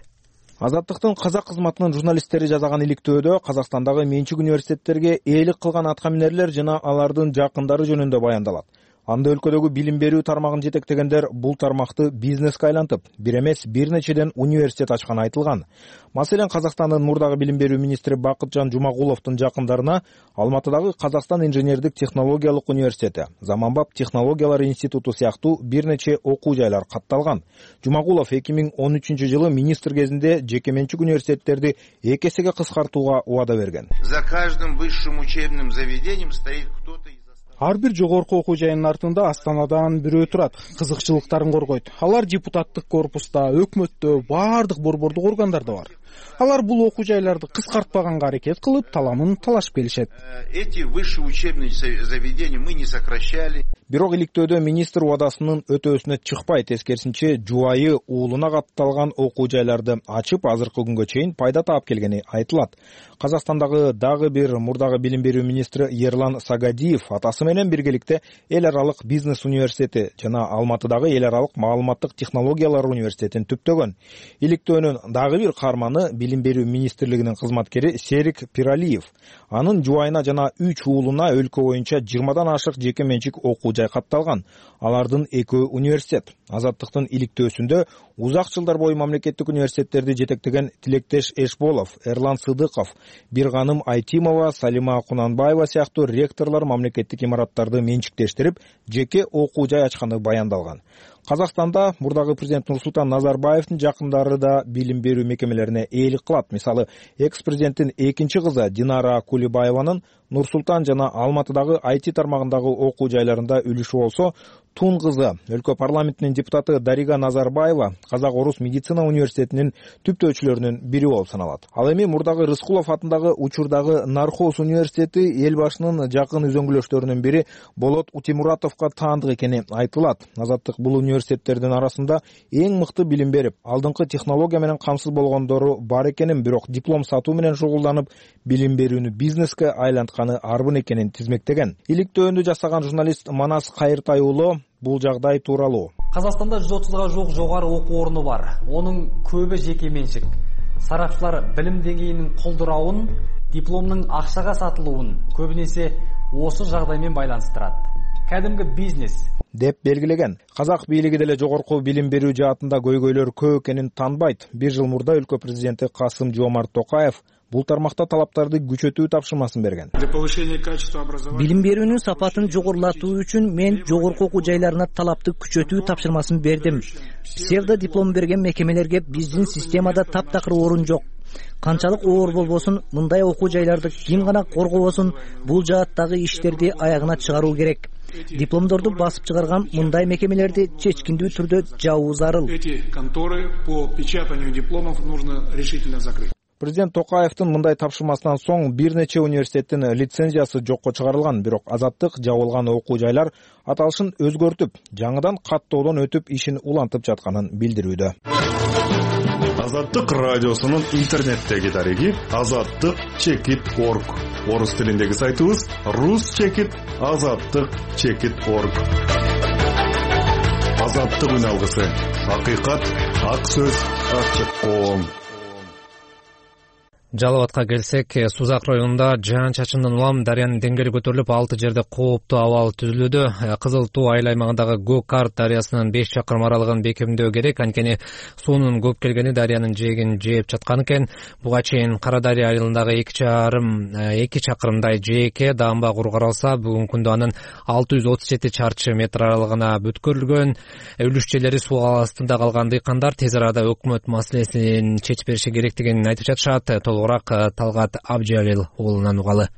Азаттыктын казак кызматынын журналисттери жазган иликтөөдө Казакстандагы менчик университеттерге ээлик кылган аткаминерлер жана алардын жакындары жөнүндө баяндалат. Анда өлкөдөгү билим берүү тармагын жетектегендер бул тармакты бизнеске айлантып, бир эмес бир нечеден университет ачканы айтылган. Маселен, Казакстандын мурдагы билим берүү министри Бакытжан Жумагуловдун жакындарына Алматыдагы Казакстан инженердик технологиялык университети, Заманбап технологиялар институту сыяктуу бир нече окуу жайлар катталган. Жумагулов 2013-жылы министр кезинде жеке менчик университеттерди 2 эсеге кыскартууга убада берген. За каждым высшим учебным заведением стоит кто-то. Ар бир жогорку окуу жайынын артында астанадан бирөө турат, кызыкчылыктарын коргойт. Алар депутаттык корпуста, өкмөттө, бардык борбордук органдарда бар. Алар бул окуу жайларды кыскартпаганга аракет кылып, таламын талашып келишет. Эти высшие учебные заведения мы не сокращали. Бирок иликтөөдө министр убадасынын өтөөсүнө чыкпай, тескерисинче жубайы уулуна катталган окуу жайларды ачып, азыркы күнгө чейин пайда таап келгени айтылат. Казакстандагы дагы бир мурдагы билим берүү министри Ерлан Сагадиев атасы менен биргеликте эл аралык бизнес университети жана Алматыдагы эл аралык маалыматтык технологиялар университетин түптөгөн. Иликтөөнүн дагы бир каарманы билим берүү министрлигинин кызматкери Серик Пиралиев. Анын жубайына жана 3 уулуна өлкө боюнча 20дан ашык жеке менчик окуу жай катталган. Алардын 2 университет. Азаттыктын иликтөөсүндө узак жылдар бою мамлекеттик университеттерди жетектеген Тилектеш Эшболов, Эрлан Сыдыков, Бирганым Айтимова, Салима Кунанбаева сыяктуу ректорлор мамлекеттик имараттарды менчиктештирип, жеке окуу жай ачканы баяндалган. Казакстанда мурдагы президент Нурсултан Назарбаевдин жакындары да билим берүү мекемелерине ээлик кылат. Мисалы, экс-президенттин экинчи кызы Динара Кулибаеванын Нурсултан жана Алматыдагы IT тармагындагы окуу жайларында үлүшү болсо, Тун кызы өлкө парламентинин депутаты Дарига Назарбаева Казак-Орус медицина университетинин түптөөчүлөрүнүн бири болуп саналат. Ал эми мурдагы Рыскулов атындагы учурдагы Нархоз университети эл башынын жакын үзөңгүлөштөрүнүн бири Болот Утимуратовго таандык экени айтылат. Азаттык бул университеттердин арасында эң мыкты билим берип, алдыңкы технология менен камсыз болгондору бар экенин, бирок диплом сатуу менен шугулданып, билим берүүнү бизнеске айлантканы арбын экенин тизмектеген. Иликтөөндү жасаган журналист Манас Кайыртай уулу бул жагдай тууралуу. Казакстанда 130га жук жогору окуу орну бар. Онун көбү жеке менчик. Сарапчылар билим деңгээлинин колдурауун, дипломдун акчага сатылуун көбүнесе осы жагдай менен байланыштырат. Кадимги бизнес деп белгилеген. Казак бийлиги деле жогорку билим берүү жаатында көйгөйлөр көп экенин танбайт. Бир жыл мурда өлкө президенти Касым-Жомарт Токаев бул тармакта талаптарды күчөтүү тапшырмасын берген. Билим берүүнүн сапатын жогорулатуу үчүн мен жогорку окуу жайларына талапты күчөтүү тапшырмасын бердим. Псевдо диплом берген мекемелерге биздин системада таптакыр орун жок. Канчалык оор болбосун, мындай окуу жайларды ким гана коргобосун, бул жааттагы иштерди аягына чыгаруу керек. Дипломдорду басып чыгарган мындай мекемелерди чечкиндүү түрдө жабуу зарыл. Эти конторы по печатанию дипломов нужно решительно закрыть. Президент Токаевдин мындай тапшырмасынан соң бир нече университеттин лицензиясы жокко чыгарылган, бирок Азаттык жабылган окуу жайлар аталышын өзгөртүп, жаңыдан каттоодон өтүп ишин улантып жатканын билдирүүдө. Азаттык радиосунун интернеттеги дареги azattik.org. Орус тилиндеги сайтыбыз rus.azattik.org. Азаттык үн алгысы. Акыйкат, ак сөз, ачык коом. Жалал Абадка келсек, Сузак районунда жаан-чачындан улам дарыянын деңгээли көтөрүлүп, 6 жерде кооптуу абал түзүлүүдө. Кызыл Туу айыл аймагындагы Го-Карт дарыясынын 5 чакырым аралыгын бекемдөө керек, анткени суунун көп келгени дарыянын жээгин жээп жаткан экен. Буга чейин Кара Дарыя айылындагы 2 чакырымдай жээкке даамба куру каралса, бүгүнкү күндө анын 637 чарчы метр аралыгына бүткөрүлгөн. Үлүшчөлөрү суу астында калган дыйкандар тез арада өкмөт маселесин чечип бериши керектигин айтып жатышат. Талгат Абжалил уулунан угалы.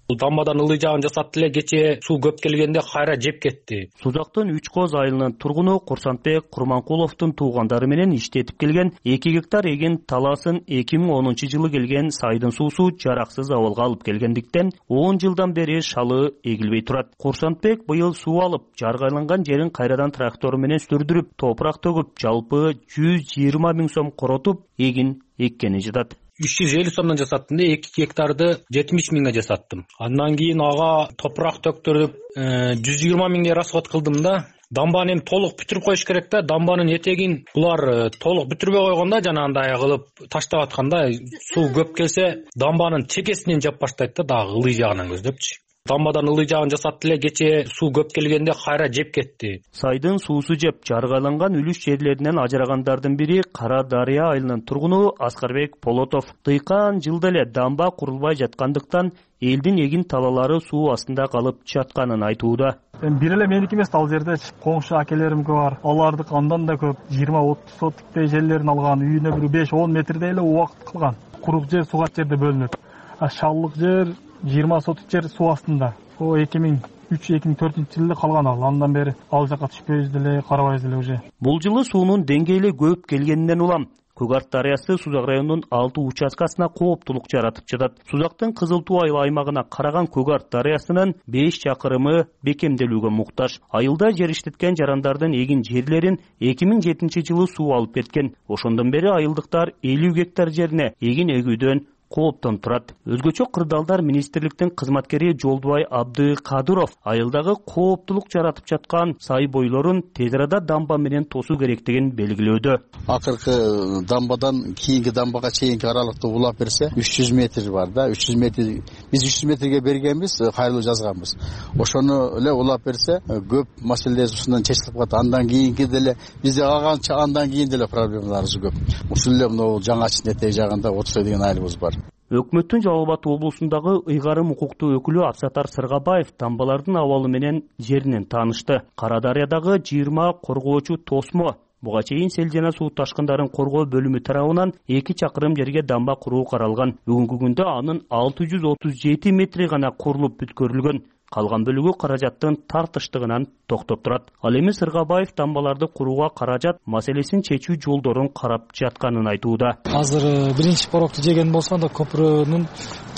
Дамбадан ылый жагын жасатты эле, кечээ суу көп келгенде кайра жеп кетти. Сузактын 3 коз айылынын тургуну Курсантбек Курманкуловдун туугандары менен иштетип келген 2 гектар эген талаасын 2010-жылы келген сайдын суусу жараксыз абалга алып келгендиктен 10 жылдан бери шалы эгилбей турат. Курсантбек быйыл суу алып, жаргайланган жерин кайрадан трактор менен сүрдүрүп, топурак төгүп, жалпы 120 000 сом коротуп, эгин эккени жатат. 350 сомдон жасаттым да, 2 гектарды 70 миңге жасаттым. Андан кийин ага топурак төктүрүп, 120 миңге расход кылдым да. Дамбаны эми толук бүтүрүп коюш керек да. Дамбанын этегин булар толук бүтүрбөй койгондо, жанагындай кылып таштап атканда, суу көп келсе, дамбанын чекесинен жап баштайт да, дагы ылый жагынан көздөпчү. Дамбадан ылый жагын жасатты эле, кечээ суу көп келгенде кайра жеп кетти. Сайдын суусу жеп жаргайланган үлүш жерлеринен ажырагандардын бири Кара Дарыя айылынын тургуну Аскарбек Полотов. Дыйкан жылда эле дамба курулбай жаткандыктан элдин эгин талаалары суу астында калып жатканын айтууда. Бир эле меники эмес, ал жерде коңшу акелеримки бар. Алардыкы андан да көп, 20-30 соттуктей жерлерин алган, үйүнө бир 5-10 метрдей эле убакыт кылган. Курук жер сугат жерде бөлүнөт. Шаллык жер 20 сотук жер суу астында. О 2003-2004-жылы калган ал. Андан бери ал жака түшпөйбүз деле, карабайбыз деле уже. Бул жылы суунун деңгээли көп келгенинен улам Көгарт дарыясы Сузак районунун 6 участкасына кооптулук жаратып жатат. Сузактын Кызыл Туу айыл аймагына караган Көгарт дарыясынын 5 чакырымы бекемделүүгө муктаж. Айылда жер иштеткен жарандардын эгин жерлерин 2007-жылы суу алып кеткен. Ошондон бери айылдыктар 50 гектар жерине эгин эгүүдөн кооптон турат. Өзгөчө кырдаалдар министрликтин кызматкери Жолдубай Абдыкадыров айылдагы кооптулук жаратып жаткан сай бойлорун тез арада дамба менен тосуу керектигин белгилөөдө. Акыркы дамбадан кийинки дамбага чейинки аралыкты улап берсе 300 метр бар да, 300 метр биз 300 метрге бергенбиз, кайрылуу жазганбыз. Ошону эле улап берсе көп маселелер ушундан чечилип калат. Андан кийинки деле бизде аганча андан кийин деле проблемаларыбыз көп. Ушул эле мына жаңа Чынетек жагында 30 деген айылыбыз бар. Өкмөттүн Жалал Абад облусундагы ыйгарым укуктуу өкүлү Абсатар Сыргабаев дамбалардын абалы менен жеринен таанышты. Кара Дарыядагы 20 коргоочу тосмо буга чейин сел жана суу ташкындарын коргоо бөлүмү тарабынан 2 чакырым жерге дамба куруу каралган. Бүгүнкү күндө анын 637 метри гана курулуп бүткөрүлгөн. Калган бөлүгү каражаттын тартыштыгынан токтоп турат. Ал эми Сыргабаев дамбаларды курууга каражат маселесин чечүү жолдорун карап жатканын айтууда. Азыр биринчи порокту жеген болсо анда көпүрөнүн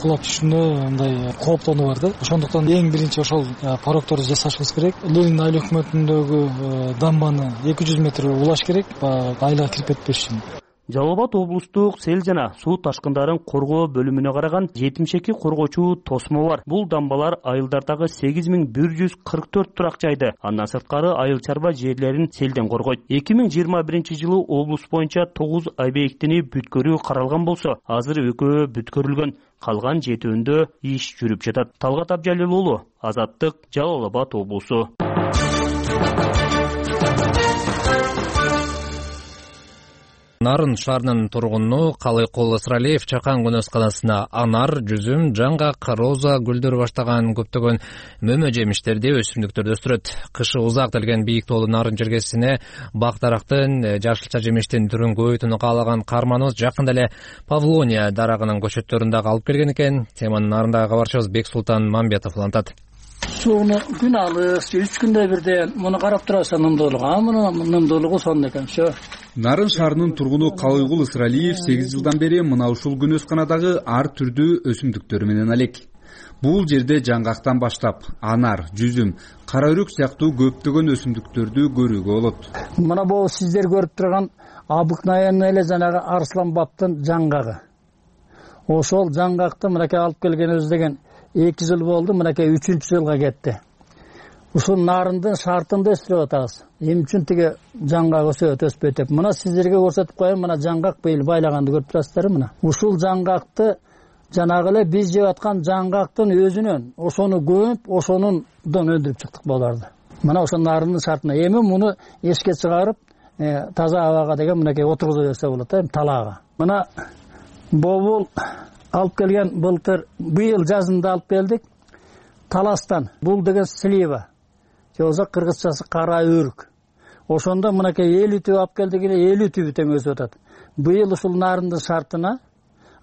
кулап түшүшүнө мындай кооптонуу бар да. Ошондуктан эң биринчи ошол порокторду жасашыбыз керек. Ленин айыл өкмөтүндөгү дамбаны 200 метр улаш керек, айылга кирип кетпеш үчүн. Жалал Абад облустук сел жана суу ташкындарын коргоо бөлүмүнө караган 72 коргоочу тосмо бар. Бул дамбалар айылдардагы 8144 турак жайды, андан сырткары айыл чарба жерлерин селден коргойт. 2021-жылы облус боюнча 9 объектини бүткөрүү каралган болсо, азыр экөө бүткөрүлгөн. Калган 7-өндө иш жүрүп жатат. Талгат Абжалил уулу, Азаттык, Жалал Абад облусу. Нарын шаарынын тургуну Калыйкул Ысыралиев чакан көнөсканасына анар, жүзүм, жаңгак, роза гүлдөр баштаган көптөгөн мөмө жемиштерди, өсүмдүктөрдү өстүрөт. Кышы узак келген бийик тоолуу нарын жергесине бак дарактын, жашылча жемиштин түрүн көбөйтүүнү каалаган каарманыбыз жакында эле Павлония дарагынын көчөттөрүн дагы алып келген экен. Теманын нарындагы кабарчыбыз Бексултан Мамбетов улантат. Сууну күн алыс 3 күндө бирден муну карап турасың нымдуулугу, мунун нымдуулугу сонун экен. Все. Нарын шаарынын тургуну Калыйгул Ысыралиев 8 жылдан бери мына ушул күн өсканадагы ар түрдүү өсүмдүктөр менен алек. Бул жерде жаңгактан баштап анар, жүзүм, кара өрүк сыяктуу көптөгөн өсүмдүктөрдү көрүүгө болот. Мына бул сиздер көрүп турган обыкновенный эле жанагы арсланбаптын жаңгагы. Ошол жаңгакты мынакей алып келгенибиз деген 2 жыл болду, мынакей 3-чү жылга кетти. Ушул нарындын шартында өстүрүп атабыз. Эмне үчүн тиги жаңгак өспөйт деп. Мына сиздерге көрсөтүп коеюн, мына жаңгак быйыл байлаганды көрүп турасыздар мына. Ушул жаңгакты жанагы эле биз жеп аткан жаңгактын өзүнөн ошону көмүп, ошонун өндүрүп чыктык буларды. Мына ошол нарындын шартына эми муну эшикке чыгарып, таза абага деген мынакей отургуза берсе болот, талаага. Мына бобул алып келген былтыр быйыл жазында алып келдик Таластан. Бул деген слива. Же болбосо кыргызчасы кара өрүк. Ошондо мынакей 50 түп алып келдик эле 50 түбү тең өсүп атат. Быйыл ушул нарындын шартына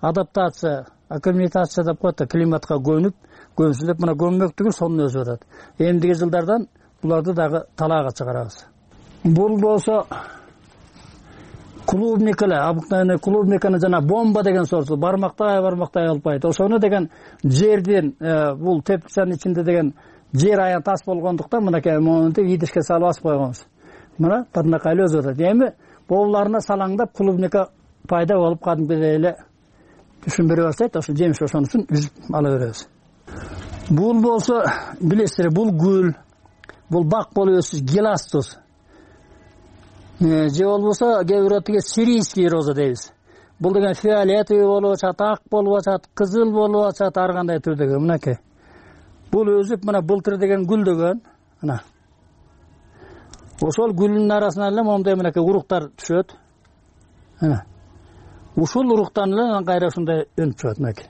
адаптация, акклиматация деп коет, климатка көнсүнүп мына көммөктүгү сонун өсүп атат. Эмдиги жылдардан буларды дагы талаага чыгарабыз. Бул болсо клубника эле, обыкновенный клубниканы жана бомба деген сорту бармактай алпайт. Ошону деген жерден бул теплицанын ичинде деген жер аян тас болгондуктан мынакей монтип идишке салып асып койгонбуз. Мына тырнакайлы өсүп атат. Эми боуларына салаңдап клубника пайда болуп кадимкидей эле түшүн бере баштайт. Ошо жемиш ошон үчүн үзүп ала беребиз. Бул болсо билесиздер, бул гүл, бул бак болуп өсүш геластус. Же болбосо кээ бирөө тиги сирийский роза дейбиз. Бул деген фиолетовый болуп атат, ак болуп атат, кызыл болуп атат, ар кандай түрдөгү мынакей. Бул өзүп мына былтыр деген гүлдөгөн, мына. Ошол гүлдүн арасынан эле моундай мынакей уруктар түшөт. Мына. Ушул уруктан эле кайра ушундай өнүп чыгат мынакей.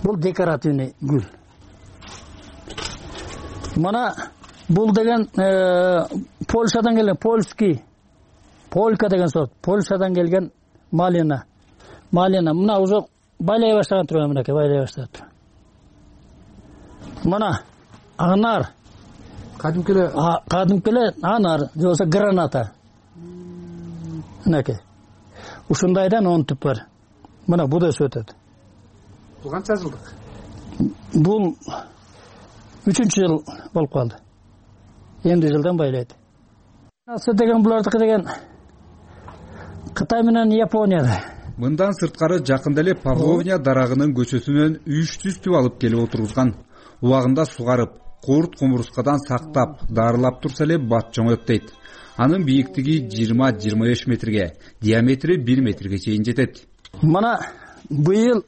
Бул декоративный гүл. Мына бул деген Польшадан келген, полька деген сорт, Польшадан келген малина. Мына уже байлай баштаган турган мынакей, байлай баштады. Мына анар. Кадимки эле анар, же болбосо граната. Мынакей. Ушундайдан 10 түп бар. Мына бу да өсүп атат. Бул канча жылдык? Бул 3-чү жыл болуп калды. Эмди жылдан байлайт. Асы деген булардыкы деген Кытай менен Японияда. Мындан сырткары жакында эле Павловня дарагынын көчөсүнөн 300 түп алып келип отургузган. Убагында сугарып, курт кумурскадан сактап, дарылап турса эле бат жоңоет дейт. Анын бийиктиги 20-25 метрге, диаметри 1 метрге чейин жетет. Мына быйыл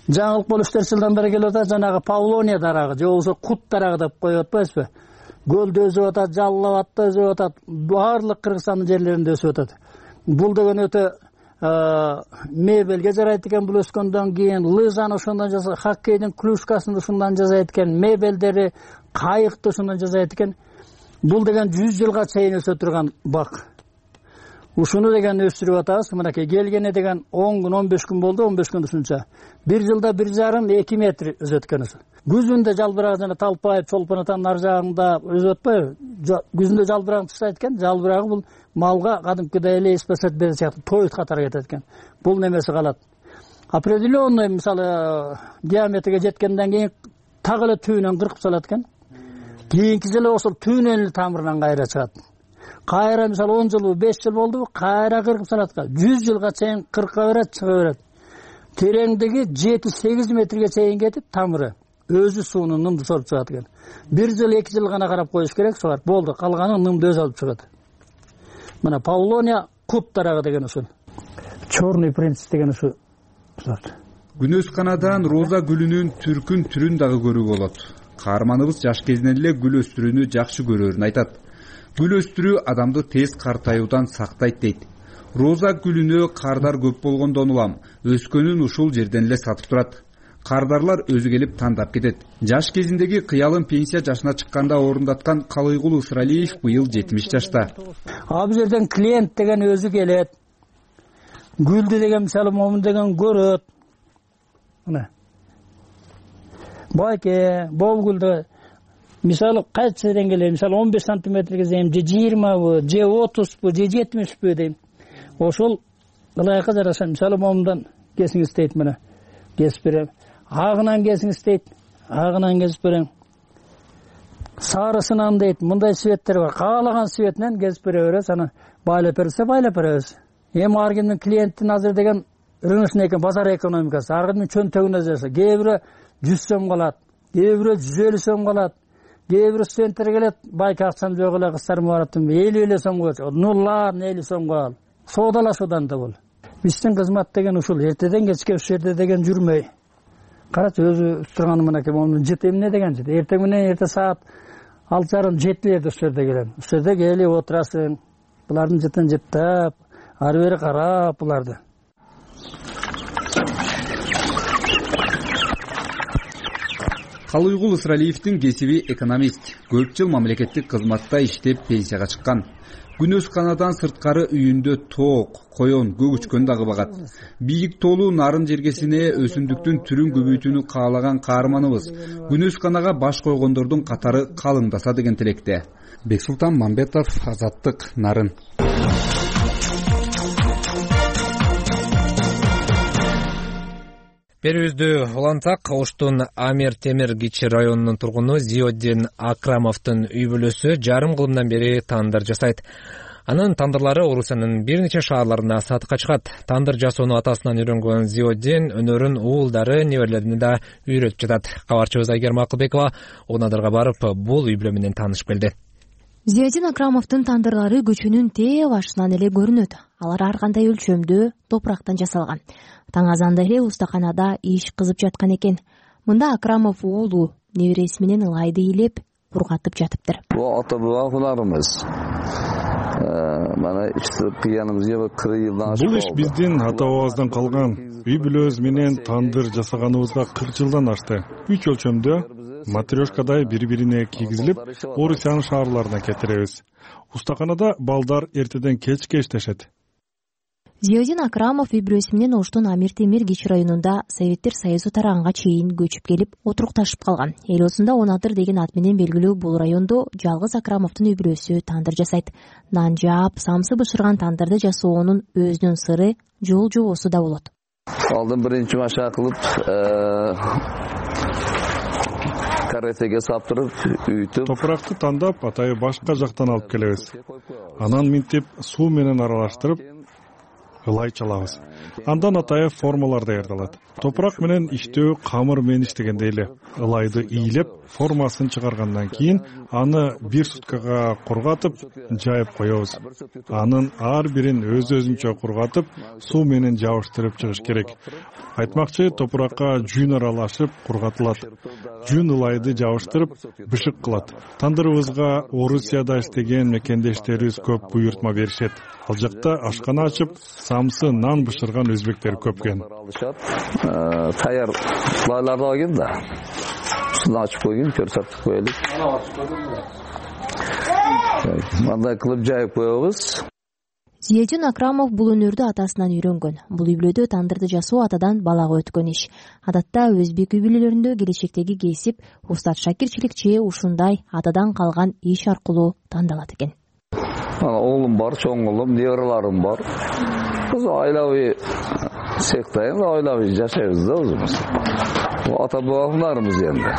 жаңылык болуп жылдан бери келип атат, жанагы Павловня дарагы, же болбосо кут дарагы деп коюп атпайсызбы? Гөлдө өсүп атат, Жалал-Абадта өсүп атат, баардык Кыргызстандын жерлеринде өсүп атат. Бул деген өтө мебелге жарайт экен, бул өскөндөн кийин лыжаны ошондон жасайт, хоккейдин клюшкасын ушундан жасайт экен, мебелдери, кайыкты ушундан жасайт экен. Бул деген 100 жылга чейин өсө турган бак. Ушуну деген өстүрүп атабыз. Мынакей келгене деген 10 күн, 15 күн болду, 15 күн ушунча. Bir жылда 1,5-2 метр өсөт экен ошо. Күзүндө жалбырак жана талпайып, чолпонатанын ар жагында өсүп атпайбы? Күзүндө жалбырагын тыштайт экен. Жалбырагы бул малга кадимкидей эле эспесет бере сыяктуу тоют катары кетет экен. Бул немеси калат. Определенный, мисалы, диаметрге жеткенден кийин так эле түбүнөн кыркып салат экен. Кийинки жылы ошол түбүнөн эле тамырынан кайра чыгат. Кайра мисалы 10 жыл, 5 жыл болду, кайра кыркып салат. 100 жылга чейин кырка берет, чыга берет. Тереңдиги 7-8 метрге чейин кетип, тамыры өзү сууну нымды соруп чыгат экен. 1 жыл, 2 жыл гана карап коюш керек, сугарып болду. Калганы нымды өзү алып чыгат. Мына Павловня кут дарагы деген ушул. Черный принц деген ушул сорт. Күнөсканадан роза гүлүнүн түрүн дагы көрүүгө болот. Каарманыбыз жаш кезинен эле гүл өстүрүүнү жакшы көрөрүн айтат. Гүл өстүрүү адамды тез картаюудан сактайт дейт. Роза гүлүнө кардар көп болгондон улам өскөнүн ушул жерден эле сатып турат. Кардарлар өзү келип тандап кетет. Жаш кезиндеги кыялын пенсия жашына чыкканда орундаткан Калыйгул Ысыралиев быйыл 70 жашта. Ал жерден клиент деген өзү келет. Гүлдү деген мисалы момун деген көрөт. Мына. байке, болгулду мисалы кайсы деңгээлде мисалы 15 сантиметрге дейм, же 20бы, же 30бы, же 70бы дейм. Ошол ылайыкка жараша мисалы момундан кесиңиз дейт, мына кесип берем. Агынан кесиңиз дейт, агынан кесип берем. Сарысынан дейт, мындай светтер бар. Каалаган светинен кесип бере беребиз, аны байлап берсе байлап беребиз. Эми ар кимдин клиенттин азыр деген рыночный экен, базар экономикасы. Ар кимдин чөнтөгүнө жаша. Кээ бирөө 100 сом калат, кээ бирөө 150 сом калат. Кээ бирөө студенттер келет, байке акчам жок эле, кыздарым бараттым, 50 сом койчу. Ну ладно, 50 сом кал. Соодалашуудан да бул. Биздин кызмат деген ушул эртеден кечке ушул жерде деген жүрмөй. Карачы өзү турганы мынакей момун жыт эмне деген жыт. Эртең менен эрте саат 6:30-7:00 ушул жерде келем. Ушул жерде келип отурасың. Булардын жытын жыттап, ары бери карап буларды. Калыйгул Ысыралиевдин кесиби экономист. Көп жыл мамлекеттик кызматта иштеп пенсияга чыккан. Күнөс канадан сырткары үйүндө тоок, коён, көгүчкөн дагы багат. Бийик тоолуу нарын жергесине өсүмдүктүн түрүн көбөйтүүнү каалаган каарманыбыз. Күнөс канага баш койгондордун катары калыңдаса деген тилекте. Бексултан Мамбетов, Азаттык, Нарын. Берүүбүздү улантсак, Оштун Амир Темир кичи районунун тургуну Зиоддин Акрамовдун үй бүлөсү жарым кылымдан бери тандыр жасайт. Анын тандырлары Орусиянын бир нече шаарларына сатыкка чыгат. Тандыр жасоону атасынан үйрөнгөн Зиоддин өнөрүн уулдары, неберелерине да үйрөтүп жатат. Кабарчыбыз Айгерим Акылбекова Унадырга барып, бул үй бүлө менен таанышып келди. Зиоддин Акрамовдун тандырлары көчөнүн тээ башынан эле көрүнөт. Алар ар кандай өлчөмдө топурактан жасалган. Таң азанда эле устаканада иш кызып жаткан экен. Мында Акрамов уулу небереси менен ылайды ыйлеп, кургатып жатыптыр. Бул ата-бабаларыбыз. Мана кыяныбызга 40 жылдан ашык. Бул иш биздин ата-бабабыздан калган. Үй бүлөбүз менен тандыр жасаганыбызга 40 жылдан ашты. 3 өлчөмдө матрешкадай бири-бирине кийгизилип, Орусиянын шаарларына кетиребиз. Устаканада балдар эртеден кечке иштешет. Зиоддин Акрамов үй бүлөсү менен Оштун Амир Темир кичи районунда Советтер Союзу тараганга чейин көчүп келип отурукташып калган. Эл осунда Унадыр деген ат менен белгилүү бул райондо жалгыз Акрамовдун үй бүлөсү тандыр жасайт. Нан жаап, самсы бышырган тандырды жасоонун өзүнүн сыры жол жобосу да болот. Алдын биринчи машак кылып, каретеге саптырып, үйтүп, топуракты тандап, атайы башка жактан алып келебиз. Анан минтип, суу менен аралаштырып, ылай чалабыз. Андан атайы формалар даярдалат. Топурак менен иштөө камыр менен иштегендей эле. Ылайды ыйлеп, формасын чыгаргандан кийин аны 1 суткага кургатып, жайып коебуз. Анын ар бирин өз-өзүнчө кургатып, суу менен жабыштырып чыгыш керек. Айтмакчы, топуракка жүүн аралашып кургатылат. Жүүн ылайды жабыштырып, бышык кылат. Тандырыбызга Орусияда иштеген мекендештерибиз көп буйртма беришет. Ал жакта ашкана ачып, самсы нан бышырган өзбектер көп экен. Таяр лайларды алган да. Шуну ачып койгон, көрсөтүп коелук. Мындай кылып жайып коебуз. Зиоддин Акрамов бул өнөрдү атасынан үйрөнгөн. Бул үй бүлөдө тандырды жасоо атадан балага өткөн иш. Адатта өзбек үй бүлөлөрүндө келечектеги кесип, устат шакирчиликчи ушундай атадан калган иш аркылуу тандалат экен. Оğlum бар, чоң улум, небераларым бар. Biz ailevi sektayız, ailevi жашайбыз да өзүбүз. Ата-бабаларыбыз енді.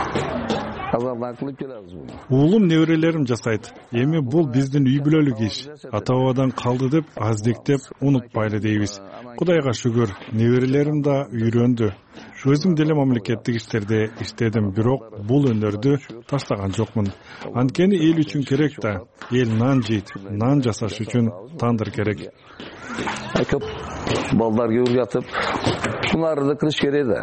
Азардан кылып келебиз буну. Уулум неберелерим жасайт. Эми бул биздин үй бүлөлүк иш. Ата-бабадан калды деп аздектеп унутпайлы дейбиз. Кудайга шүгүр, неберелерим да үйрөндү. Өзүм деле мамлекеттик иштерде иштедим, бирок бул өнөрдү таштаган жокмун. Анткени эл үчүн керек да. Эл нан жейт, нан жасаш үчүн тандыр керек. Көп балдар күйүп жатып, буларды да кылыш керек да.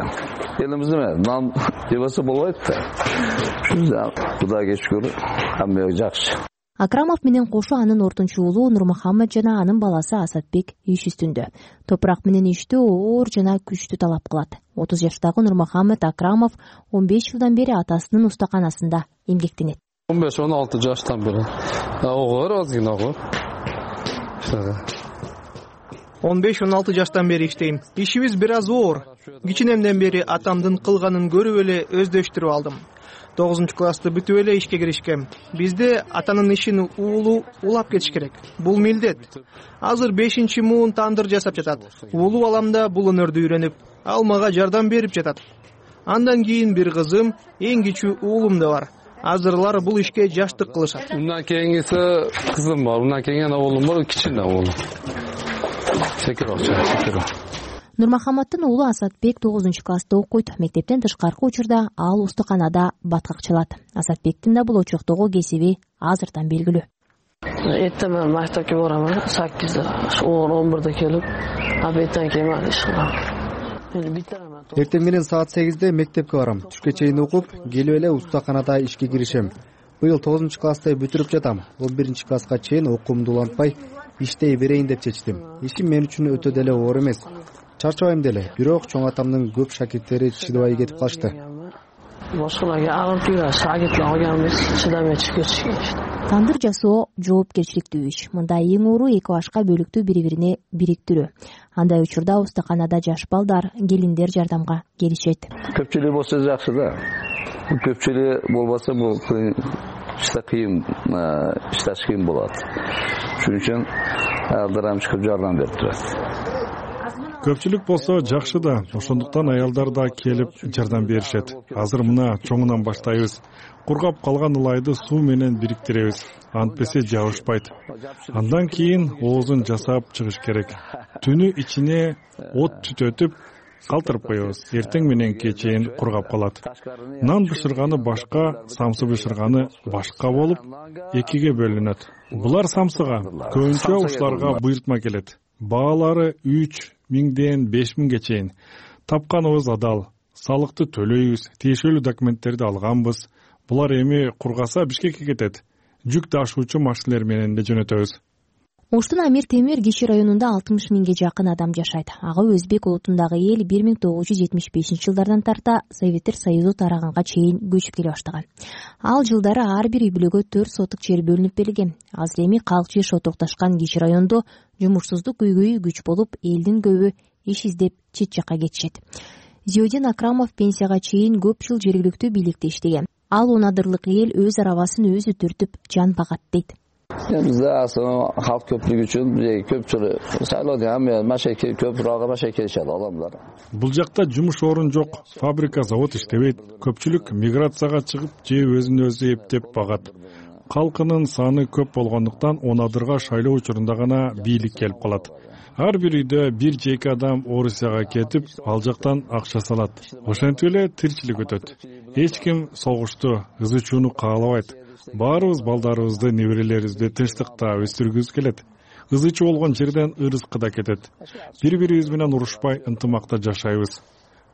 Элимизде нан жебесе болбойт да. Кудайга шүгүр, хамма жакшы. Акрамов менен кошо анын ортунчу уулу Нурмухаммед жана анын баласы Асатбек иш үстүндө. Топурак менен иштөө оор жана күчтүү талап кылат. 30 жаштагы Нурмухаммед Акрамов 15 жылдан бери атасынын устаканасында эмгектенет. 15-16 жаштан бери. Огор азгина огор. 15-16 жаштан бери иштейм. Ишибиз бир аз оор. Кичинемден бери атамдын кылганын көрүп эле өздөштүрүп алдым. 9-классты бүтүп эле ишке киришкем. Бизде атанын ишин уулу улап кетиш керек. Бул милдет. Азыр 5-муун тандыр жасап жатат. Уулу балам да бул өнөрдү үйрөнүп, ал мага жардам берип жатат. Андан кийин бир кызым, эң кичүү уулум да бар. Азырлар бул ишке жаштык кылышат. Мындан кийингиси кызым бар, мындан кийин уулум бар, кичине уулум. Секиров. Нурмахаматтын уулу Асатбек 9-класста окуйт. Мектептен тышкаркы учурда ал устуканада баткак чалат. Асатбектин да бул очоктогу кесиби азыртан белгилүү. Эртең мектепке барам, 8-11-де келип, абеттен кийин иш кылам. Эртең менен саат 8-де мектепке барам. Түшкө чейин окуп, келип эле устаканада ишке киришем. Быйыл 9-классты бүтүрүп жатам. 11-класска чейин окуумду улантпай, иштей берейин деп чечтим. Ишим мен үчүн өтө деле оор эмес. Чарчабайм деле, бирок чоң атамдын көп шакирттери чыдабай кетип калышты. Башкаларга агыртып, шагиртлер алганбыз, чыдамай чыгып кетишкен. Тандыр жасоо жоопкерчиликтүү иш. Мында эң оору эки башка бөлүктү бири-бирине бириктирүү. Андай учурда устаканада жаш балдар, келиндер жардамга келишет. Көпчүлүк болсо жакшы да. Көпчүлүк болбосо бул ишташ кыйын болот. Шуning үчүн аялдар чыгып жардам берип турат. Көпчүлүк болсо жакшы да, ошондуктан аялдар да келип жардам беришет. Азыр мына чоңунан баштайбыз. Кургап калган ылайды суу менен бириктиребиз. Антпесе жабышпайт. Андан кийин оозун жасап чыгыш керек. Түнү ичине от түтөтүп калтырып коебуз. Эртең мененки чейин кургап калат. Нан бышырганы башка, самсы бышырганы башка болуп, экиге бөлүнөт. Булар самсыга, көбүнчө ушуларга буйртма келет. Баалары 3.000-ден 5.000-ге чейин. Тапканыбыз адал. Салыкты төлөйбүз, тиешелүү документтерди алганбыз. Булар эми кургаса Бишкекке кетет. Жүк ташуучу машиналар менен да жөнөтөбүз. Оштун Амир Темир киши районунда 60 миңге жакын адам жашайт. Ага өзбек улутундагы эл 1975-жылдардан тарта Советтер Союзу тараганга чейин көчүп келе баштаган. Ал жылдары ар бир үй бүлөгө 4 сотук жер бөлүнүп берилген. Азыр эми калк жер шотукташкан киши райондо жумушсуздук көйгөйү күч болуп, элдин көбү иш издеп чет жакка кетишет. Зиодин Акрамов пенсияга чейин көп жыл жергиликтүү бийликте иштеген. Ал унадырлык эл өз арабасын өзү түртүп жан багат дейт. Bizde aslında halk köprülük için köpçülü sayılıyor ama maşeke köprüge maşeke yaşadı adamlar. Бул жакта жумуш орун жок, фабрика, завод иштебейт. Көпчүлүк миграцияга чыгып, же өзүн өзү эптеп багат. Калкынын саны көп болгондуктан Унадырга шайлоо учурунда гана бийлик келип калат. Ар бир үйдө бир же эки адам Орусияга кетип, ал жактан акча салат. Ошентип эле тиричилик өтөт. Эч ким согушту, ызы чууну каалабайт. Баарыбыз балдарыбызды, неберелерибизди тынчтыкта өстүргүбүз келет. Ызы чуу болгон жерден ырыскы да кетет. Бири-бирибиз менен урушпай, ынтымакта жашайбыз.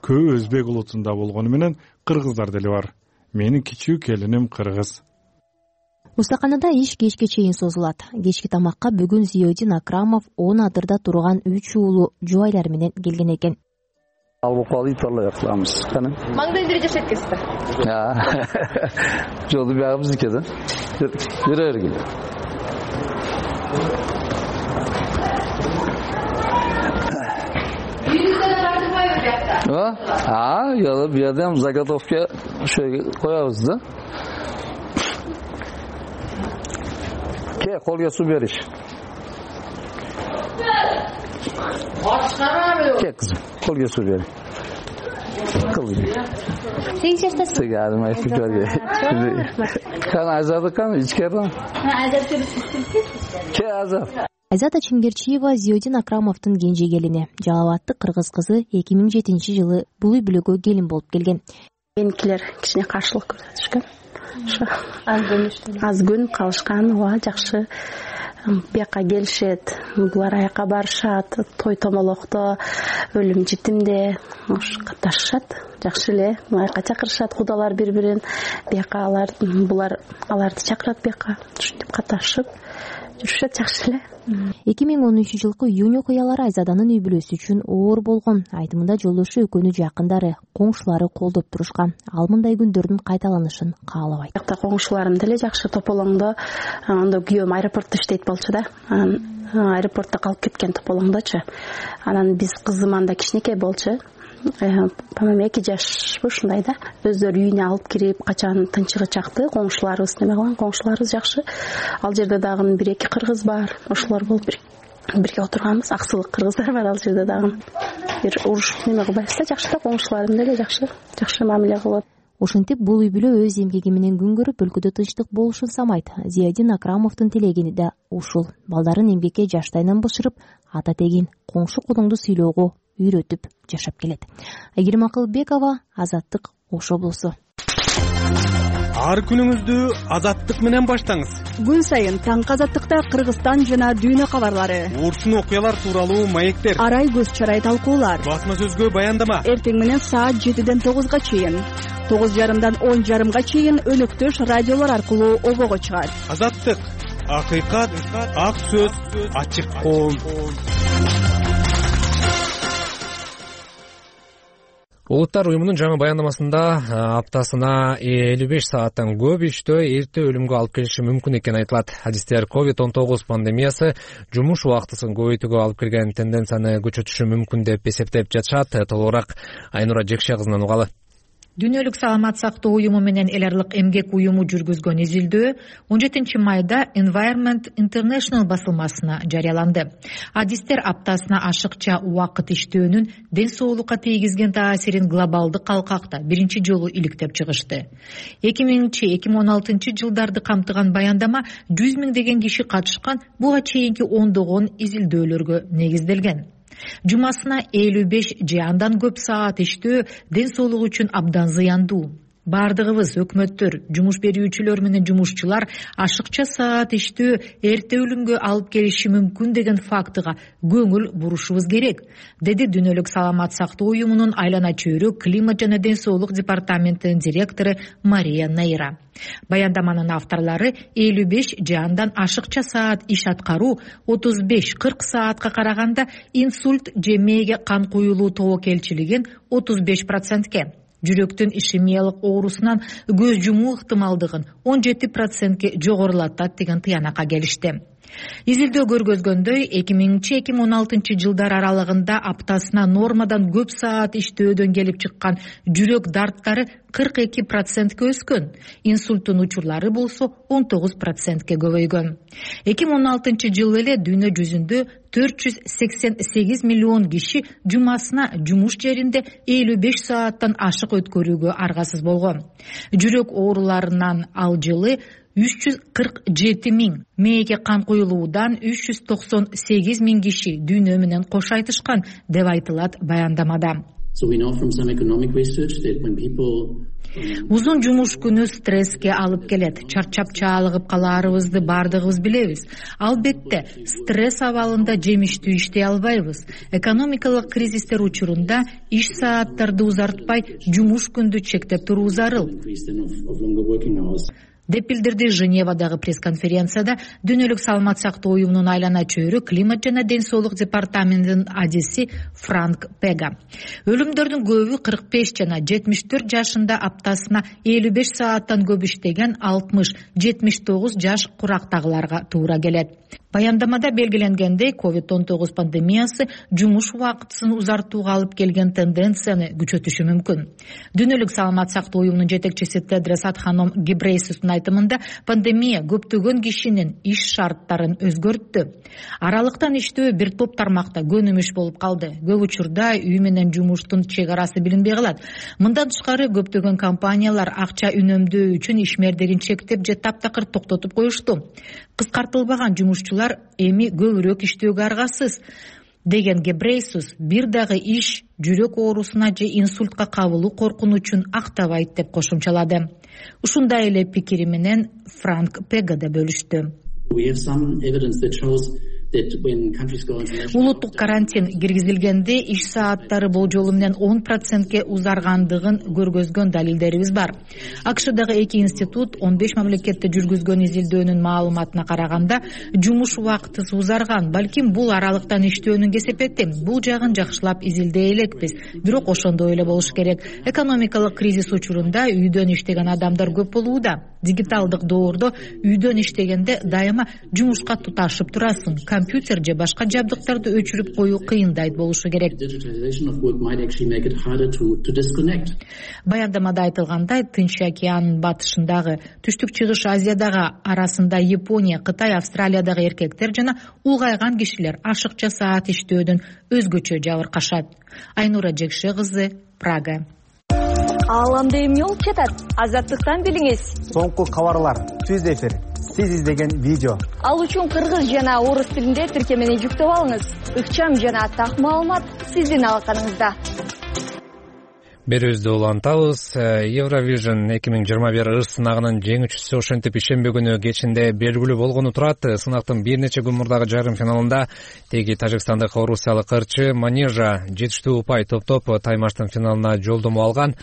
Көбү өзбек улутунда болгону менен кыргыздар деле бар. Менин кичүү келиним кыргыз. Устаканада иш кечке чейин созулат. Кечки тамакка бүгүн Зиодин Акрамов Унадырда турган 3 уулу жубайлар менен келген экен. Al bu kalı itarla yaklamız. Mangda indire jaşayt kesipler. Ya. Jolu bir ağımız dikedi. Yürü örgülü. Yüzünden tartılmayı yaptı. Ha? Ya bir adam Zagatovka şöyle koyarız da. Ke kolga su beriş. Ke kızım. Kolga su beriş. Kılıyor. Sekiz yaştasın. Sigarım ayıp görüyor. Kan Azadı kan içkerden. Azat görürsün. Ke Azat. Айзата Чимгерчиева Зиодин Акрамовдун кенже келини. Жалаваттык кыргыз кызы 2007-жылы бул үй бүлөгө келин болуп келген. Меникилер кичине каршылык көрсөтүшкөн. Аз күн калышкан, ооба жакшы. Бияка келишет, булар аяка барышат, той томолокто, өлүм житимде катнашышат. Жакшы эле, аяка чакырышат кудалар бири-бирин. Бияка аларды чакырат бияка. Ушинтип катнашып жүрүшөт, жакшы эле. 2013-жылкы июнь окуялары Айзаданын үй бүлөсү үчүн оор болгон. Айтымында жолдошу экөөнү жакындары, коңшулары колдоп турушкан. Ал мындай күндөрдүн кайталанышын каалабайт. Коңшуларым деле жакшы тополоңдо, анда күйөөм аэропортто иштейт болчу да. аэропортто калып кеткен тополоңдочу. Анан биз кызым анда кичинекей болчу. По-моему 2 жашпы ушундай да. Өздөрү үйүнө алып кирип, качан тынчыгы чакты, коңшуларыбыз неме кылган, коңшуларыбыз жакшы. Ал жерде дагы 1-2 кыргыз бар. Ошолор болуп бирге отурганбыз. Аксылык кыргыздар бар ал жерде дагы. Бир уруш неме кылбайбыз да, жакшы да, коңшуларым деле жакшы мамиле кылып. Ошентип бул үй бүлө өз эмгеги менен күн көрүп, өлкөдө тынчтык болушун самайт. Зиядин Акрамовдун тилегени да ушул. Балдарын эмгекке жаштайынан бышырып, ата тегин коңшу кудуңду сыйлоого үйрөтүп жашап келет. Айгерим Акылбекова, Азаттык, Ош облусу. Ар күнүңүздү Азаттык менен баштаңыз. Күн сайын таңкы Азаттыкта Кыргызстан жана дүйнө кабарлары, урчун окуялар тууралуу маектер, арай көз чарай талкуулар, басма сөзгө баяндама. Эртең менен саат 7-ден 9-га чейин, 9:30-дан 10:30-га чейин өнөктөш радиолор аркылуу обого чыгат. Азаттык, акыйкат, ак сөз, ачык коом. Улуттар уюмунун жаңы баяндамасында аптасына 55 сааттан көп иштөө эрте өлүмгө алып келиши мүмкүн экени айтылат. Адистер COVID-19 пандемиясы жумуш убактысын көбөйтүүгө алып келген тенденцияны күчөтүшү мүмкүн деп эсептеп жатышат. Толугураак Айнура Жекше кызынан угалы. Дүйнөлүк саламат сактоо уюму менен эл аралык эмгек уюму жүргүзгөн изилдөө 17 майда Environment International басылмасына жарыяланды. Адистер аптасына ашыкча убакыт иштөөнүн ден соолукка тийгизген таасирин глобалдык калкакта биринчи жолу иликтеп чыгышты. 2000-2016 жылдарды камтыган баяндама 100 миңдеген киши катышкан, буга чейинки ондогон изилдөөлөргө негизделген. Жумасына 55 же андан көп саат иштөө ден соолук үчүн абдан зыяндуу. Бардыгыбыз, өкмөттөр, жумуш берүүчүлөр менен жумушчулар ашыкча саат иштөө эрте өлүмгө алып келиши мүмкүн деген фактыга көңүл бурушубуз керек, деди Дүйнөлүк саламат сактоо уюмунун айлана чөйрө климат жана ден соолук департаментинин директору Мария Нейра. Баяндаманын авторлары 55 же андан ашыкча саат иш аткаруу 35-40 саатка караганда инсульт же мээге кан куюлуу тобокелчилигин 35%, жүрөктүн ишемиялык оорусунан көз жумуу ыктымалдыгын 17%ке жогорулатат деген тыянакка келишти. Изилдөө көргөзгөндөй 2000-2016 жылдар аралыгында аптасына нормадан көп саат иштөөдөн келип чыккан жүрөк дарттары 42%ке өскөн, инсульттун учурлары болсо 19%ке көбөйгөн. 2016 жылы эле дүйнө жүзүндө 488 миллион киши жумасына жумуш жеринде 55 сааттан ашык өткөрүүгө аргасыз болгон. Жүрөк ооруларынан ал жылы 347 миң, мээге кан куюлуудан 398 миң киши дүйнө менен кош айтышкан деп айтылат баяндамада. Узун жумуш күнү стресске алып келет. Чарчап чаалыгып калаарыбызды бардыгыбыз билебиз. Албетте, стресс абалында жемиштүү иштей албайбыз. Экономикалык кризистер учурунда иш сааттарды узартпай, жумуш күндү чектеп туруу зарыл, деп билдирди Женевадагы пресс-конференцияда Дүйнөлүк саламат сактоо уюмунун айлана чөйрө климат жана ден соолук департаментинин адиси Франк Пега. Өлүмдөрдүн көбү 45 жана 74 жашында аптасына 55 сааттан көп иштеген 60-79 жаш курактагыларга туура келет. Баяндамада белгиленгендей, COVID-19 пандемиясы жумуш убактысын узартууга алып келген тенденцияны күчөтүшү мүмкүн. Дүйнөлүк саламат сактоо уюмунун жетекчиси Тедрос Адханом Гебрейсустун айтымында, пандемия көптөгөн кишинин иш шарттарын өзгөрттү. Аралыктан иштөө бир топ тармакта көнүмүш болуп калды. Көп учурда үй менен жумуштун чек арасы билинбей калат. Мындан тышкары көптөгөн компаниялар акча үнөмдөө үчүн ишмердерин чектеп же таптакыр токтотуп коюшту. Кыскартылбаган жумушчулар эми көбүрөөк иштөөгө аргасыз, деген Гебрейсус бир дагы иш жүрөк оорусуна же инсультка кабылуу коркунучун актабайт деп кошумчалады. Ушундай эле пикири менен Франк Пега да бөлүштү. Улуттук карантин киргизилгенде иш сааттары болжолу менен 10%ке узаргандыгын көргөзгөн далилдерибиз бар. АКШдагы 2 институт 15 мамлекетте жүргүзгөн изилдөөнүн маалыматына караганда жумуш убактысы узарган. Балким бул аралыктан иштөөнүн кесепети. Бул жагын жакшылап изилдей элекпиз. Бирок ошондой эле болуш керек. Экономикалык кризис учурунда үйдөн иштеген адамдар көп болууда. Дигиталдык доордо үйдөн иштегенде дайыма жумушка туташып турасың. Компьютер же башка жабдыктарды өчүрүп коюу кыйындай болушу керек. Баяндамада айтылгандай, Тынч океанын батышындагы, түштүк чыгыш Азиядагы арасында Япония, Кытай, Австралиядагы эркектер жана улгайган кишилер ашыкча саат иштөөдөн өзгөчө жабыркашат. Айнура Жекше кызы, Прага. Ааламда эмне болуп жатат? Азаттыктан билиңиз. Соңку кабарлар, түз эфир, сиз издеген видео. Ал үчүн кыргыз жана орус тилинде тиркемени жүктөп алыңыз. Ыкчам жана так маалымат сиздин алаканыңызда. Берүүбүздү улантабыз. Eurovision 2021 ыр сынагынын жеңүүчүсү ошентип ишембе күнү кечинде белгилүү болгону турат. Сынактын бир нече күн мурдагы жарым финалында теги тажикстандык орусиялык ырчы Манежа жетиштүү упай топтоп таймаштын финалына жолдомо алган.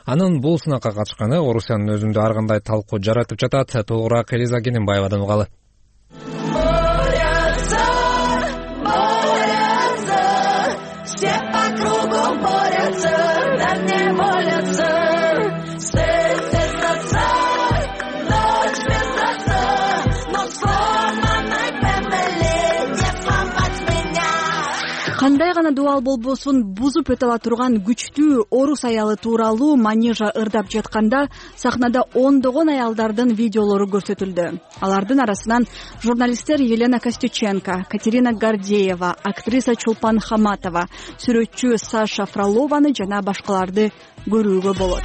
Анын бул сынакка катышканы Орусиянын өзүндө ар кандай талкуу жаратып жатат. Толугураак Элиза Кененбаевадан угалы. Кандай гана дубал болбосун бузуп өтө ала турган күчтүү орус аялы тууралуу Манежа ырдап жатканда сахнада ондогон аялдардын видеолору көрсөтүлдү. Алардын арасынан журналисттер Елена Костюченко, Катерина Гордеева, актриса Чулпан Хаматова, сүрөтчү Саша Фролованы жана башкаларды көрүүгө болот.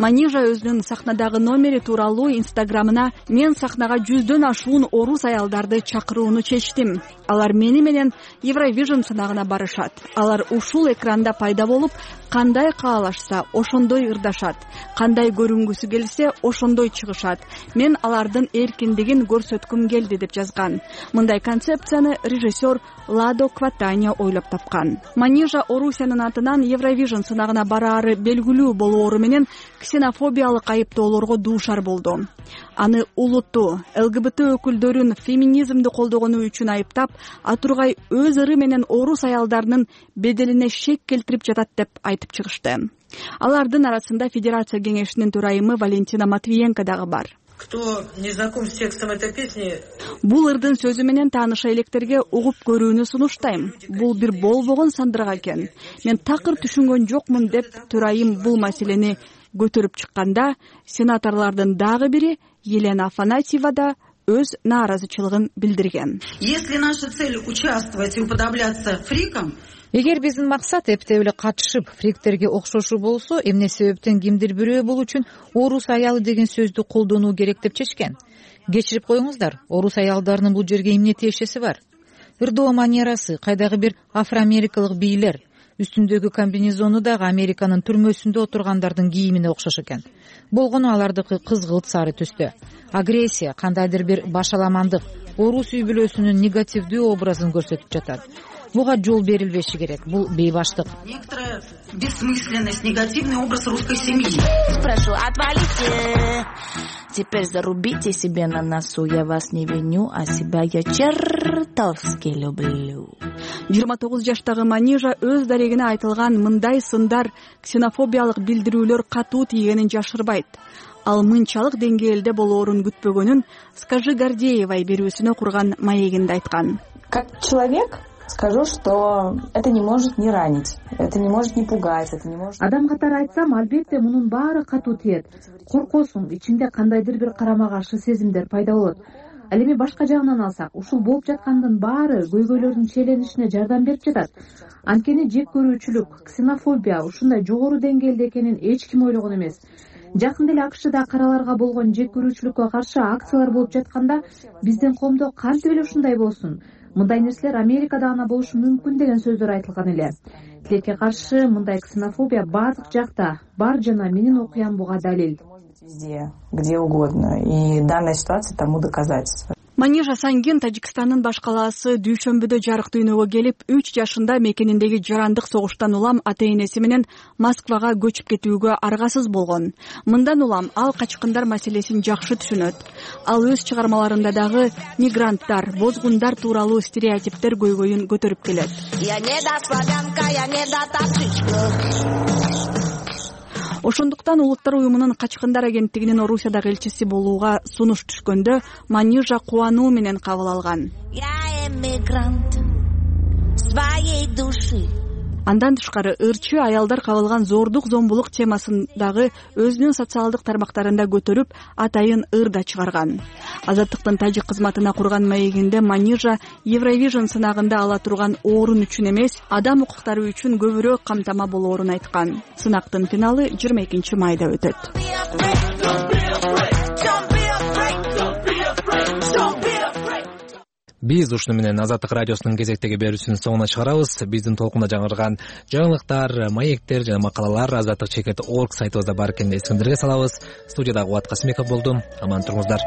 Манежа өзүнүн сахнадагы номери тууралуу инстаграмына мен сахнага 100дөн ашуун орус аялдарды чакырууну чечтим. Алар мени менен Eurovision сынагына барышат. Алар ушул экранда пайда болуп, кандай каалашса ошондой ырдашат. Кандай көрүнгүсү келсе ошондой чыгышат. Мен алардын эркиндигин көрсөткүм келди деп жазган. Мындай концепцияны режиссер Ладо Кватаня ойлоп тапкан. Манежа Орусиянын атынан Eurovision сынагына бараары белгилүү болоору менен ксенофобиялык айыптоолорго дуушар болду. Аны улуттуу ЛГБТ өкүлдөрүн феминизмди колдогону үчүн айыптап, атургай өз ыры менен орус аялдарынын беделине шек келтирип жатат деп айтып чыгышты. Алардын арасында Федерация кеңешинин төрайымы Валентина Матвиенко дагы бар. Кто не знаком с текстом этой песни? Бул ырдын сөзү менен тааныша электерге угуп көрүүнү сунуштайм. Бул бир болбогон сандырак экен. Мен такыр түшүнгөн жокмун деп төрайым бул маселени көтөрүп чыкканда, сенаторлордун дагы бири Елена Афанасьева да өз нааразычылыгын билдирген. Если наша цель участвовать и уподобляться фрикам, эгер биздин максат эптеп эле катышып фриктерге окшошуу болсо, эмне себептен кимдир бирөө бул үчүн орус аялы деген сөздү колдонуу керек деп чечкен. Кечирип коюңуздар, орус аялдарынын бул жерге эмне тиешеси бар? Ырдоо манерасы, кайдагы бир афроамерикалык бийлер, үстүндөгү комбинезону дагы Американын түрмөсүндө отургандардын кийимине окшош экен. Болгону алардыкы кызгылт сары түстө. Агрессия, кандайдыр бир башаламандык, орус үй бүлөсүнүн негативдүү образын көрсөтүп жатат. Буга жол берилбеши керек. Бул бейбаштык. Некоторая бессмысленность, негативный образ русской семьи. Прошу, отвалите. Теперь зарубите себе на носу. Я вас не виню, а себя я чертовски люблю. 29 жаштагы Манежа өз дарегине айтылган мындай сындар, ксенофобиялык билдирүүлөр катуу тийгенин жашырбайт. Ал мынчалык деңгээлде болоорун күтпөгөнүн Скажи Гордеевай берүүсүнө курган маегинде айткан. Как человек скажу, что это не может не ранить, это не может не пугать, это не может... Адам катары айтсам, албетте мунун баары катуу тиет. Коркосуң, ичиңде кандайдыр бир карама каршы сезимдер пайда болот. Ал эми башка жагынан алсак, ушул болуп жаткандын баары көйгөйлөрдүн чейленишине жардам берип жатат. Анткени жек көрүүчүлүк, ксенофобия ушундай жогору деңгээлде экенин эч ким ойлогон эмес. Жакында эле АКШда караларга болгон жек көрүүчүлүккө каршы акциялар болуп жатканда, биздин коомдо кантип эле ушундай болсун? Мындай нерселер Америкада гана болушу мүмкүн деген сөздөр айтылган эле. Тилекке каршы мындай ксенофобия баардык жакта бар жана менин окуям буга далил. Везде, где угодно. И данная ситуация тому доказательство. Манижа Сангин Тажикстандын баш калаасы дүйшөмбүдө жарык дүйнөгө келип, 3 жашында мекениндеги жарандык согуштан улам ата-энеси менен Москвага көчүп кетүүгө аргасыз болгон. Мындан улам ал качкындар маселесин жакшы түшүнөт. Ал өз чыгармаларында дагы мигранттар, бозгундар тууралуу стереотиптер көйгөйүн көтөрүп келет. Ошондуктан Улуттар уюмунун качкындар агенттигинин Орусиядагы элчиси болууга сунуш түшкөндө Манижа кубануу менен кабыл алган. Андан тышкары ырчы аялдар кабылган зордук зомбулук темасын дагы өзүнүн социалдык тармактарында көтөрүп, атайын ырда чыгарган. Азаттыктын тажик кызматына курган маегинде Манижа Евровижн сынагында ала турган орун үчүн эмес, адам укуктары үчүн көбүрөөк камтама болоорун айткан. Сынактын финалы 22 майда өтөт. Биз ушуну менен Азаттык радиосунун кезектеги берүүсүнүн соңуна чыгарабыз. Биздин толкунда жаңырган жаңылыктар, маектер жана макалалар azattikcheket.org сайтыбызда бар экенин эсиңерге салабыз. Студияда Кубат Касымбеков болдум. Аман туруңуздар.